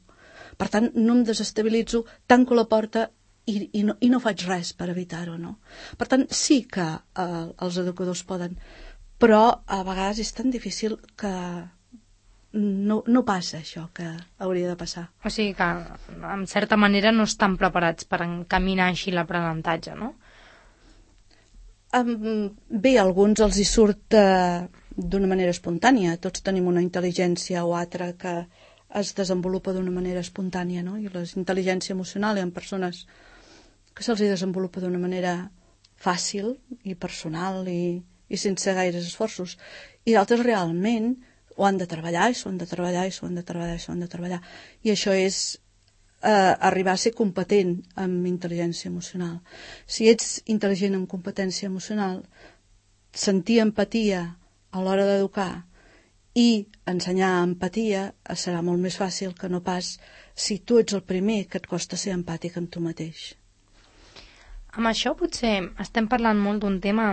Per tant, no em desestabilitzo, tanco la porta i, i, no, i no faig res per evitar-ho, no? Per tant, sí que eh, els educadors poden, però a vegades és tan difícil que no, no passa això que hauria de passar. O sigui que, en certa manera, no estan preparats per encaminar així l'aprenentatge, no? Um, bé, a alguns els hi surt uh, d'una manera espontània. Tots tenim una intel·ligència o altra que es desenvolupa d'una manera espontània, no? I la intel·ligència emocional hi ha persones que se'ls desenvolupa d'una manera fàcil i personal i, i sense gaires esforços. I d'altres realment ho han de treballar i s'ho han de treballar i s'ho han de treballar i s'ho han de treballar. I això és eh, arribar a ser competent amb intel·ligència emocional. Si ets intel·ligent amb competència emocional, sentir empatia a l'hora d'educar i ensenyar empatia serà molt més fàcil que no pas si tu ets el primer que et costa ser empàtic amb tu mateix. Amb això potser estem parlant molt d'un tema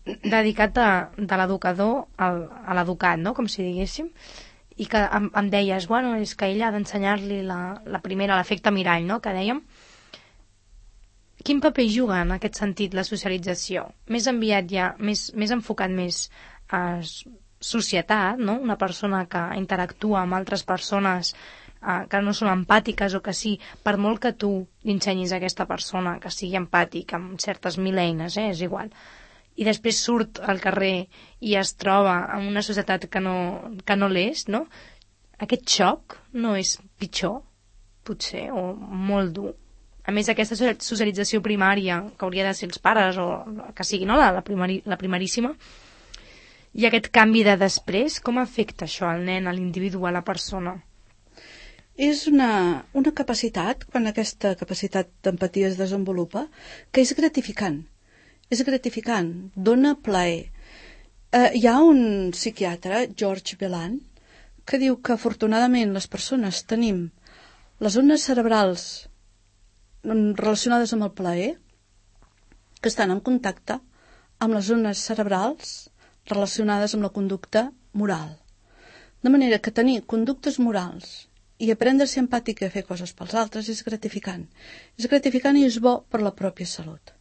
dedicat a, de l'educador al, a l'educat, no? Com si diguéssim, i que em, em deies, bueno, és que ell ha d'ensenyar-li la, la primera, l'efecte mirall, no? Que dèiem. Quin paper juga en aquest sentit la socialització? Més enviat ja, més, més enfocat més a societat, no? Una persona que interactua amb altres persones eh, que no són empàtiques o que sí, per molt que tu ensenyis a aquesta persona que sigui empàtic amb certes mil eines, eh, és igual, i després surt al carrer i es troba en una societat que no, que no l'és, no? Aquest xoc no és pitjor, potser, o molt dur. A més, aquesta socialització primària, que hauria de ser els pares, o que sigui, no?, la, la, primari, la primaríssima, i aquest canvi de després, com afecta això al nen, a l'individu, a la persona? És una, una capacitat, quan aquesta capacitat d'empatia es desenvolupa, que és gratificant. És gratificant, dona plaer. Eh, hi ha un psiquiatre, George Bellan, que diu que afortunadament les persones tenim les zones cerebrals relacionades amb el plaer que estan en contacte amb les zones cerebrals relacionades amb la conducta moral. De manera que tenir conductes morals i aprendre a ser empàtic i a fer coses pels altres és gratificant. És gratificant i és bo per la pròpia salut.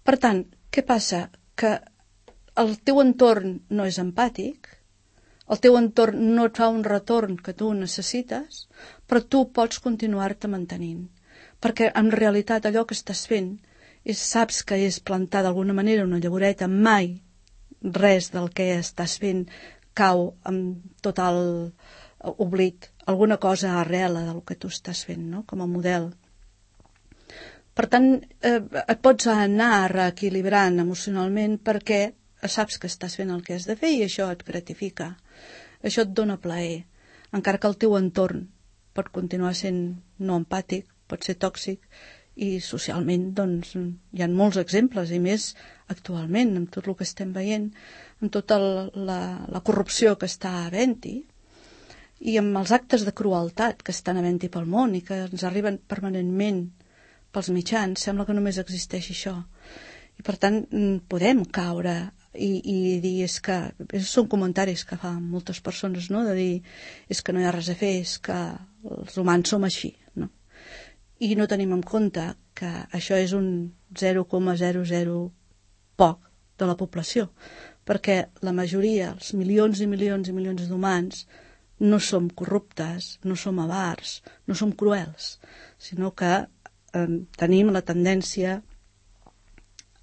Per tant, què passa? Que el teu entorn no és empàtic, el teu entorn no et fa un retorn que tu necessites, però tu pots continuar-te mantenint. Perquè en realitat allò que estàs fent és, saps que és plantar d'alguna manera una llavoreta, mai res del que estàs fent cau amb total oblit. Alguna cosa arrela del que tu estàs fent, no? Com a model. Per tant, eh, et pots anar reequilibrant emocionalment perquè saps que estàs fent el que has de fer i això et gratifica. Això et dona plaer. Encara que el teu entorn pot continuar sent no empàtic, pot ser tòxic, i socialment doncs, hi ha molts exemples, i més actualment, amb tot el que estem veient, amb tota la, la corrupció que està havent-hi, i amb els actes de crueltat que estan havent-hi pel món i que ens arriben permanentment pels mitjans, sembla que només existeix això. I per tant podem caure i, i dir és que, són comentaris que fan moltes persones, no? De dir és que no hi ha res a fer, és que els humans som així, no? I no tenim en compte que això és un zero coma zero zero poc de la població, perquè la majoria, els milions i milions i milions d'humans, no som corruptes, no som avars, no som cruels, sinó que eh, tenim la tendència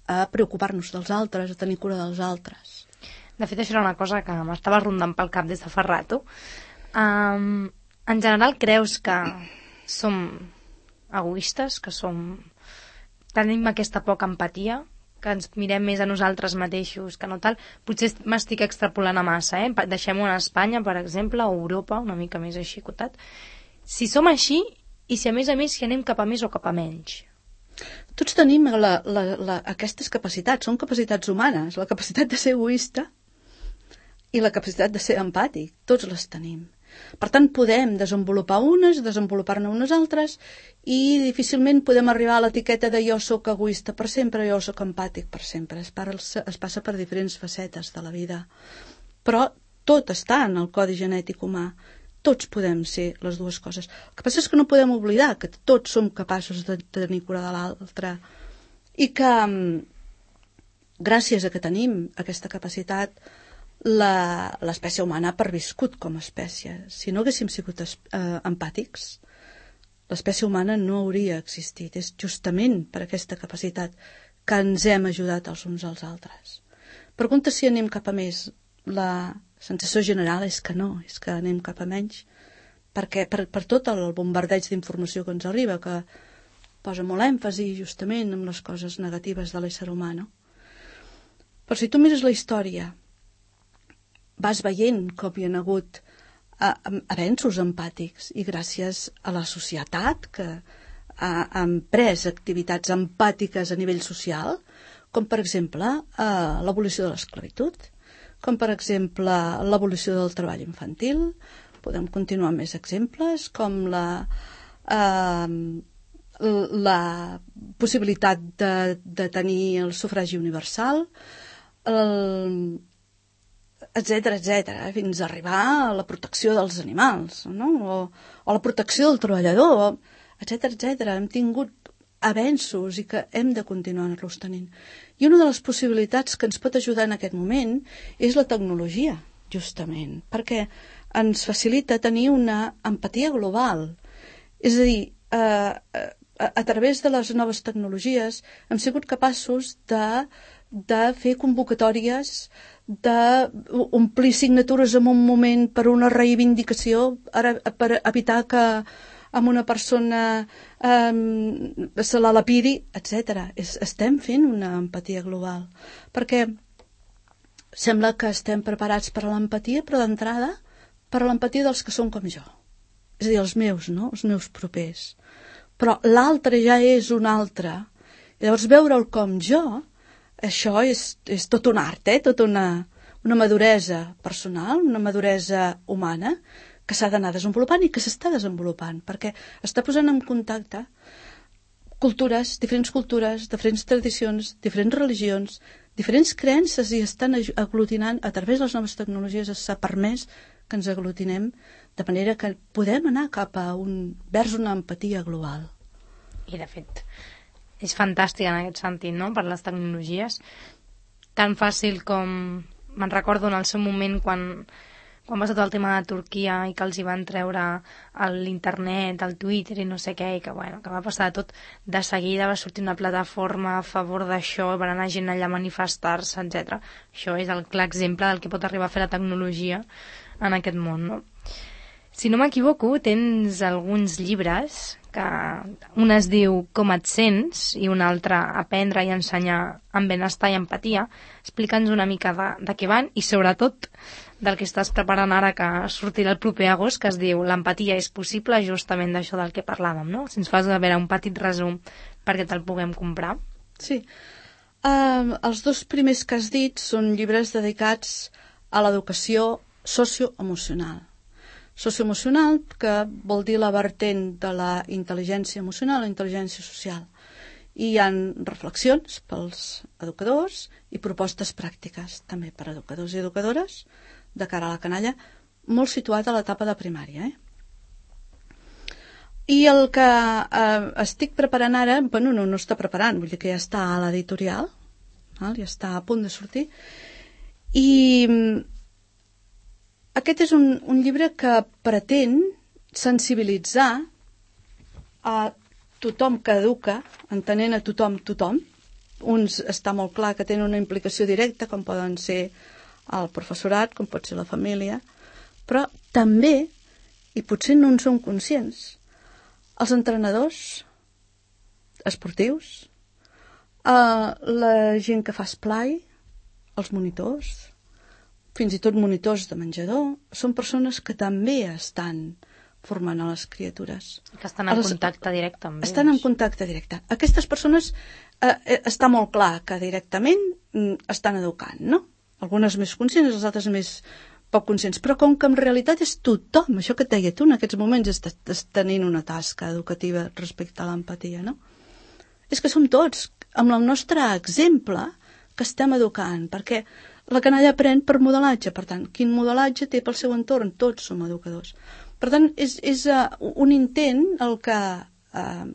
a preocupar-nos dels altres, a tenir cura dels altres. De fet, això era una cosa que m'estava rondant pel cap des de fa rato. Um, en general, creus que som egoistes, que som... tenim aquesta poca empatia, que ens mirem més a nosaltres mateixos que no tal? Potser m'estic extrapolant a massa, eh? Deixem-ho a Espanya, per exemple, o Europa, una mica més així cotat. Si som així, i si a més a més si anem cap a més o cap a menys? Tots tenim la, la, la, aquestes capacitats, són capacitats humanes, la capacitat de ser egoista i la capacitat de ser empàtic, tots les tenim. Per tant, podem desenvolupar unes, desenvolupar-ne unes altres, i difícilment podem arribar a l'etiqueta de jo sóc egoista per sempre, jo sóc empàtic per sempre. Es, para, es passa per diferents facetes de la vida. Però tot està en el codi genètic humà. Tots podem ser les dues coses. El que passa és que no podem oblidar que tots som capaços de tenir cura de l'altre i que gràcies a que tenim aquesta capacitat l'espècie humana ha perviscut com a espècie. Si no haguéssim sigut eh, empàtics, l'espècie humana no hauria existit. És justament per aquesta capacitat que ens hem ajudat els uns als altres. Pregunta si anem cap a més. La sensació general és que no, és que anem cap a menys, perquè per, per tot el bombardeig d'informació que ens arriba, que posa molt èmfasi justament en les coses negatives de l'ésser humà, no? Però si tu mires la història, vas veient com hi ha hagut avenços empàtics, i gràcies a la societat que ha emprès activitats empàtiques a nivell social, com per exemple l'abolició de l'esclavitud, com per exemple l'abolició del treball infantil. Podem continuar amb més exemples, com la, eh, la possibilitat de, de tenir el sufragi universal, el, etcètera, etcètera, fins a arribar a la protecció dels animals, no? o, o la protecció del treballador, etcètera, etcètera. Hem tingut avenços i que hem de continuar-los tenint. I una de les possibilitats que ens pot ajudar en aquest moment és la tecnologia, justament, perquè ens facilita tenir una empatia global. És a dir, eh, a, a través de les noves tecnologies hem sigut capaços de, de fer convocatòries, d'omplir signatures en un moment per una reivindicació, per evitar que amb una persona um, se la lapidi, etcètera. Estem fent una empatia global, perquè sembla que estem preparats per a l'empatia, però d'entrada per a l'empatia dels que són com jo. És a dir, els meus, no? Els meus propers. Però l'altre ja és un altre. I llavors veure'l com jo, això és, és tot un art, eh? Tot una, una maduresa personal, una maduresa humana, que s'ha d'anar desenvolupant i que s'està desenvolupant, perquè està posant en contacte cultures, diferents cultures, diferents tradicions, diferents religions, diferents creences, i estan aglutinant a través de les noves tecnologies. S'ha permès que ens aglutinem de manera que podem anar cap a un, vers una empatia global. I de fet és fantàstic en aquest sentit, no?, per les tecnologies, tan fàcil com me'n recordo en el seu moment quan quan va ser tot el tema de Turquia i que els hi van treure l'internet, el Twitter i no sé què, i que, bueno, que va passar tot de seguida, va sortir una plataforma a favor d'això, va anar gent allà a manifestar-se, etcètera. Això és el clar exemple del que pot arribar a fer la tecnologia en aquest món, no? Si no m'equivoco, tens alguns llibres, que un es diu Com et sents i un altre Aprendre i ensenyar amb benestar i empatia. Explica'ns una mica de, de què van i sobretot del que estàs preparant ara, que sortirà el proper agost, que es diu L'empatia és possible, justament d'això del que parlàvem, no? Si ens fas a veure un petit resum perquè te'l puguem comprar. Sí. Uh, els dos primers que has dit són llibres dedicats a l'educació socioemocional. Socioemocional, que vol dir la vertent de la intel·ligència emocional, la intel·ligència social. I hi ha reflexions pels educadors i propostes pràctiques també per educadors i educadores de cara a la canalla, molt situat a l'etapa de primària. Eh? I el que eh, estic preparant ara, bueno, no, no està preparant, vull dir que ja està a l'editorial, val? Ja està a punt de sortir, i aquest és un, un llibre que pretén sensibilitzar a tothom que educa, entenent a tothom tothom. Uns està molt clar que tenen una implicació directa, com poden ser el professorat, com pot ser la família, però també, i potser no en som conscients, els entrenadors esportius, eh, la gent que fa esplai, els monitors, fins i tot monitors de menjador, són persones que també estan formant a les criatures. Que estan en els, contacte directe amb ells. Estan en contacte directe. Aquestes persones eh, està molt clar que directament mm, estan educant, no? Algunes més conscients, les altres més poc conscients. Però com que en realitat és tothom, això que et deia tu, en aquests moments estàs tenint una tasca educativa respecte a l'empatia, no? És que som tots, amb el nostre exemple, que estem educant, perquè la canalla aprèn per modelatge, per tant, quin modelatge té pel seu entorn? Tots som educadors. Per tant, és, és uh, un intent el que uh,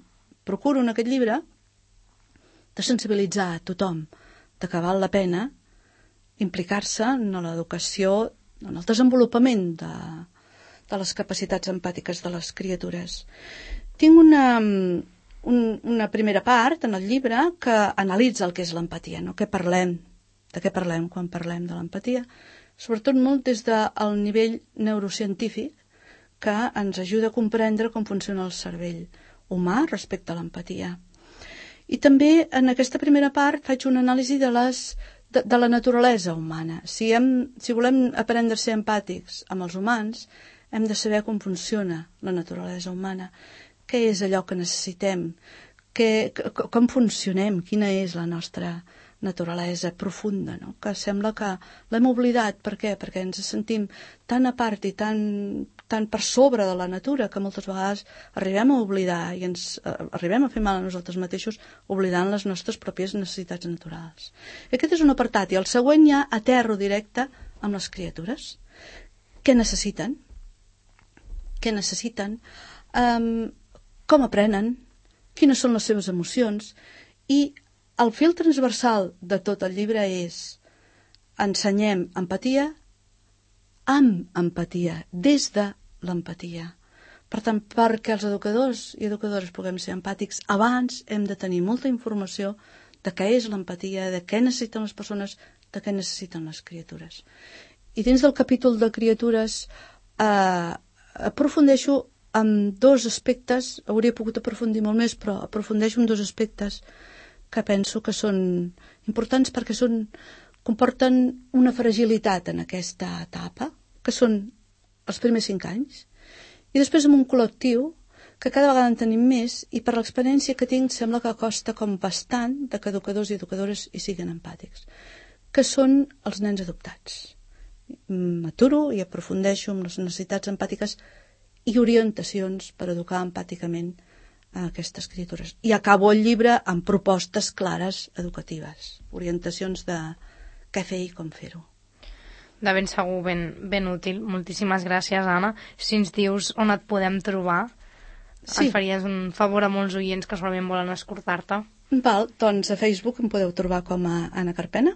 procuro en aquest llibre de sensibilitzar a tothom de que val la pena implicar-se en l'educació, en el desenvolupament de, de les capacitats empàtiques de les criatures. Tinc una, un, una primera part en el llibre que analitza el que és l'empatia, no? Què parlem, de què parlem quan parlem de l'empatia, sobretot molt des del nivell neurocientífic, que ens ajuda a comprendre com funciona el cervell humà respecte a l'empatia. I també en aquesta primera part faig una anàlisi de, les, de, de la naturalesa humana. Si, hem, si volem aprendre a ser empàtics amb els humans, hem de saber com funciona la naturalesa humana, què és allò que necessitem, què, com funcionem, quina és la nostra naturalesa profunda, no? Que sembla que l'hem oblidat. Per què? Perquè ens sentim tan a part i tan, tan per sobre de la natura que moltes vegades arribem a oblidar i ens eh, arribem a fer mal a nosaltres mateixos oblidant les nostres pròpies necessitats naturals. Aquest és un apartat, i el següent ja aterro directe amb les criatures. Què necessiten? Què necessiten? Um, com aprenen? Quines són les seves emocions? I el fil transversal de tot el llibre és ensenyem empatia amb empatia, des de l'empatia. Per tant, perquè els educadors i educadores puguem ser empàtics, abans hem de tenir molta informació de què és l'empatia, de què necessiten les persones, de què necessiten les criatures. I dins del capítol de criatures eh, aprofundeixo en dos aspectes, hauria pogut aprofundir molt més, però aprofundeixo en dos aspectes que penso que són importants perquè són, comporten una fragilitat en aquesta etapa, que són els primers cinc anys, i després amb un col·lectiu que cada vegada en tenim més, i per l'experiència que tinc sembla que costa com bastant de que educadors i educadores hi siguin empàtics, que són els nens adoptats. M'aturo i aprofundeixo en les necessitats empàtiques i orientacions per educar empàticament a aquestes criatures. I acabo el llibre amb propostes clares educatives, orientacions de què fer i com fer-ho. De ben segur, ben, ben útil. Moltíssimes gràcies, Anna. Si ens dius on et podem trobar, sí. Ens faries un favor a molts oients que solament volen escoltar-te. Val, doncs a Facebook em podeu trobar com a Anna Carpena,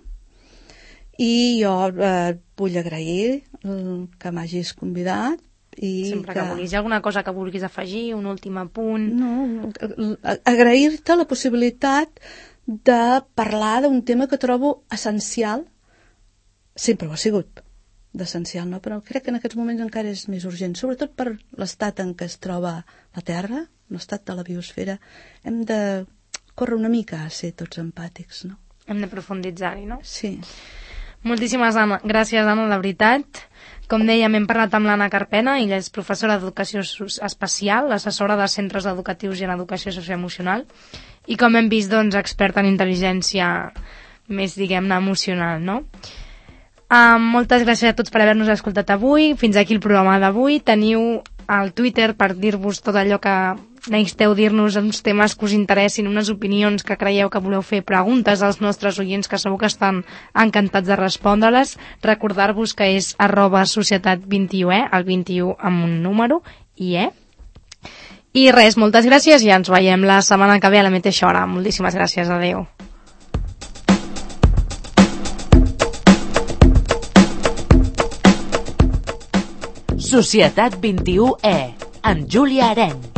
i jo eh, vull agrair que m'hagis convidat. I sempre que, que vulguis. Hi ha alguna cosa que vulguis afegir, un últim apunt? No, agrair-te la possibilitat de parlar d'un tema que trobo essencial, sempre ho ha sigut d'essencial, no? Però crec que en aquests moments encara és més urgent, sobretot per l'estat en què es troba la Terra, l'estat de la biosfera. Hem de córrer una mica a ser tots empàtics, no? Hem de profunditzar-hi, no? Sí. Moltíssimes Anna. Gràcies, Anna, de veritat. Com dèiem, hem parlat amb l'Anna Carpena, ella és professora d'educació especial, assessora de centres educatius i en educació socioemocional, i com hem vist, doncs, experta en intel·ligència més, diguem-ne, emocional, no? Um, moltes gràcies a tots per haver-nos escoltat avui. Fins aquí el programa d'avui. Teniu al Twitter per dir-vos tot allò que, necessiteu dir-nos uns temes que us interessin, unes opinions que creieu que voleu fer, preguntes als nostres oients que segur que estan encantats de respondre-les, recordar-vos que és arroba societat vint-i-u e, el vint-i-u amb un número, i e. I res, moltes gràcies i ens veiem la setmana que ve a la mateixa hora. Moltíssimes gràcies, adeu. Societat vint-i-u e, amb Júlia Areny.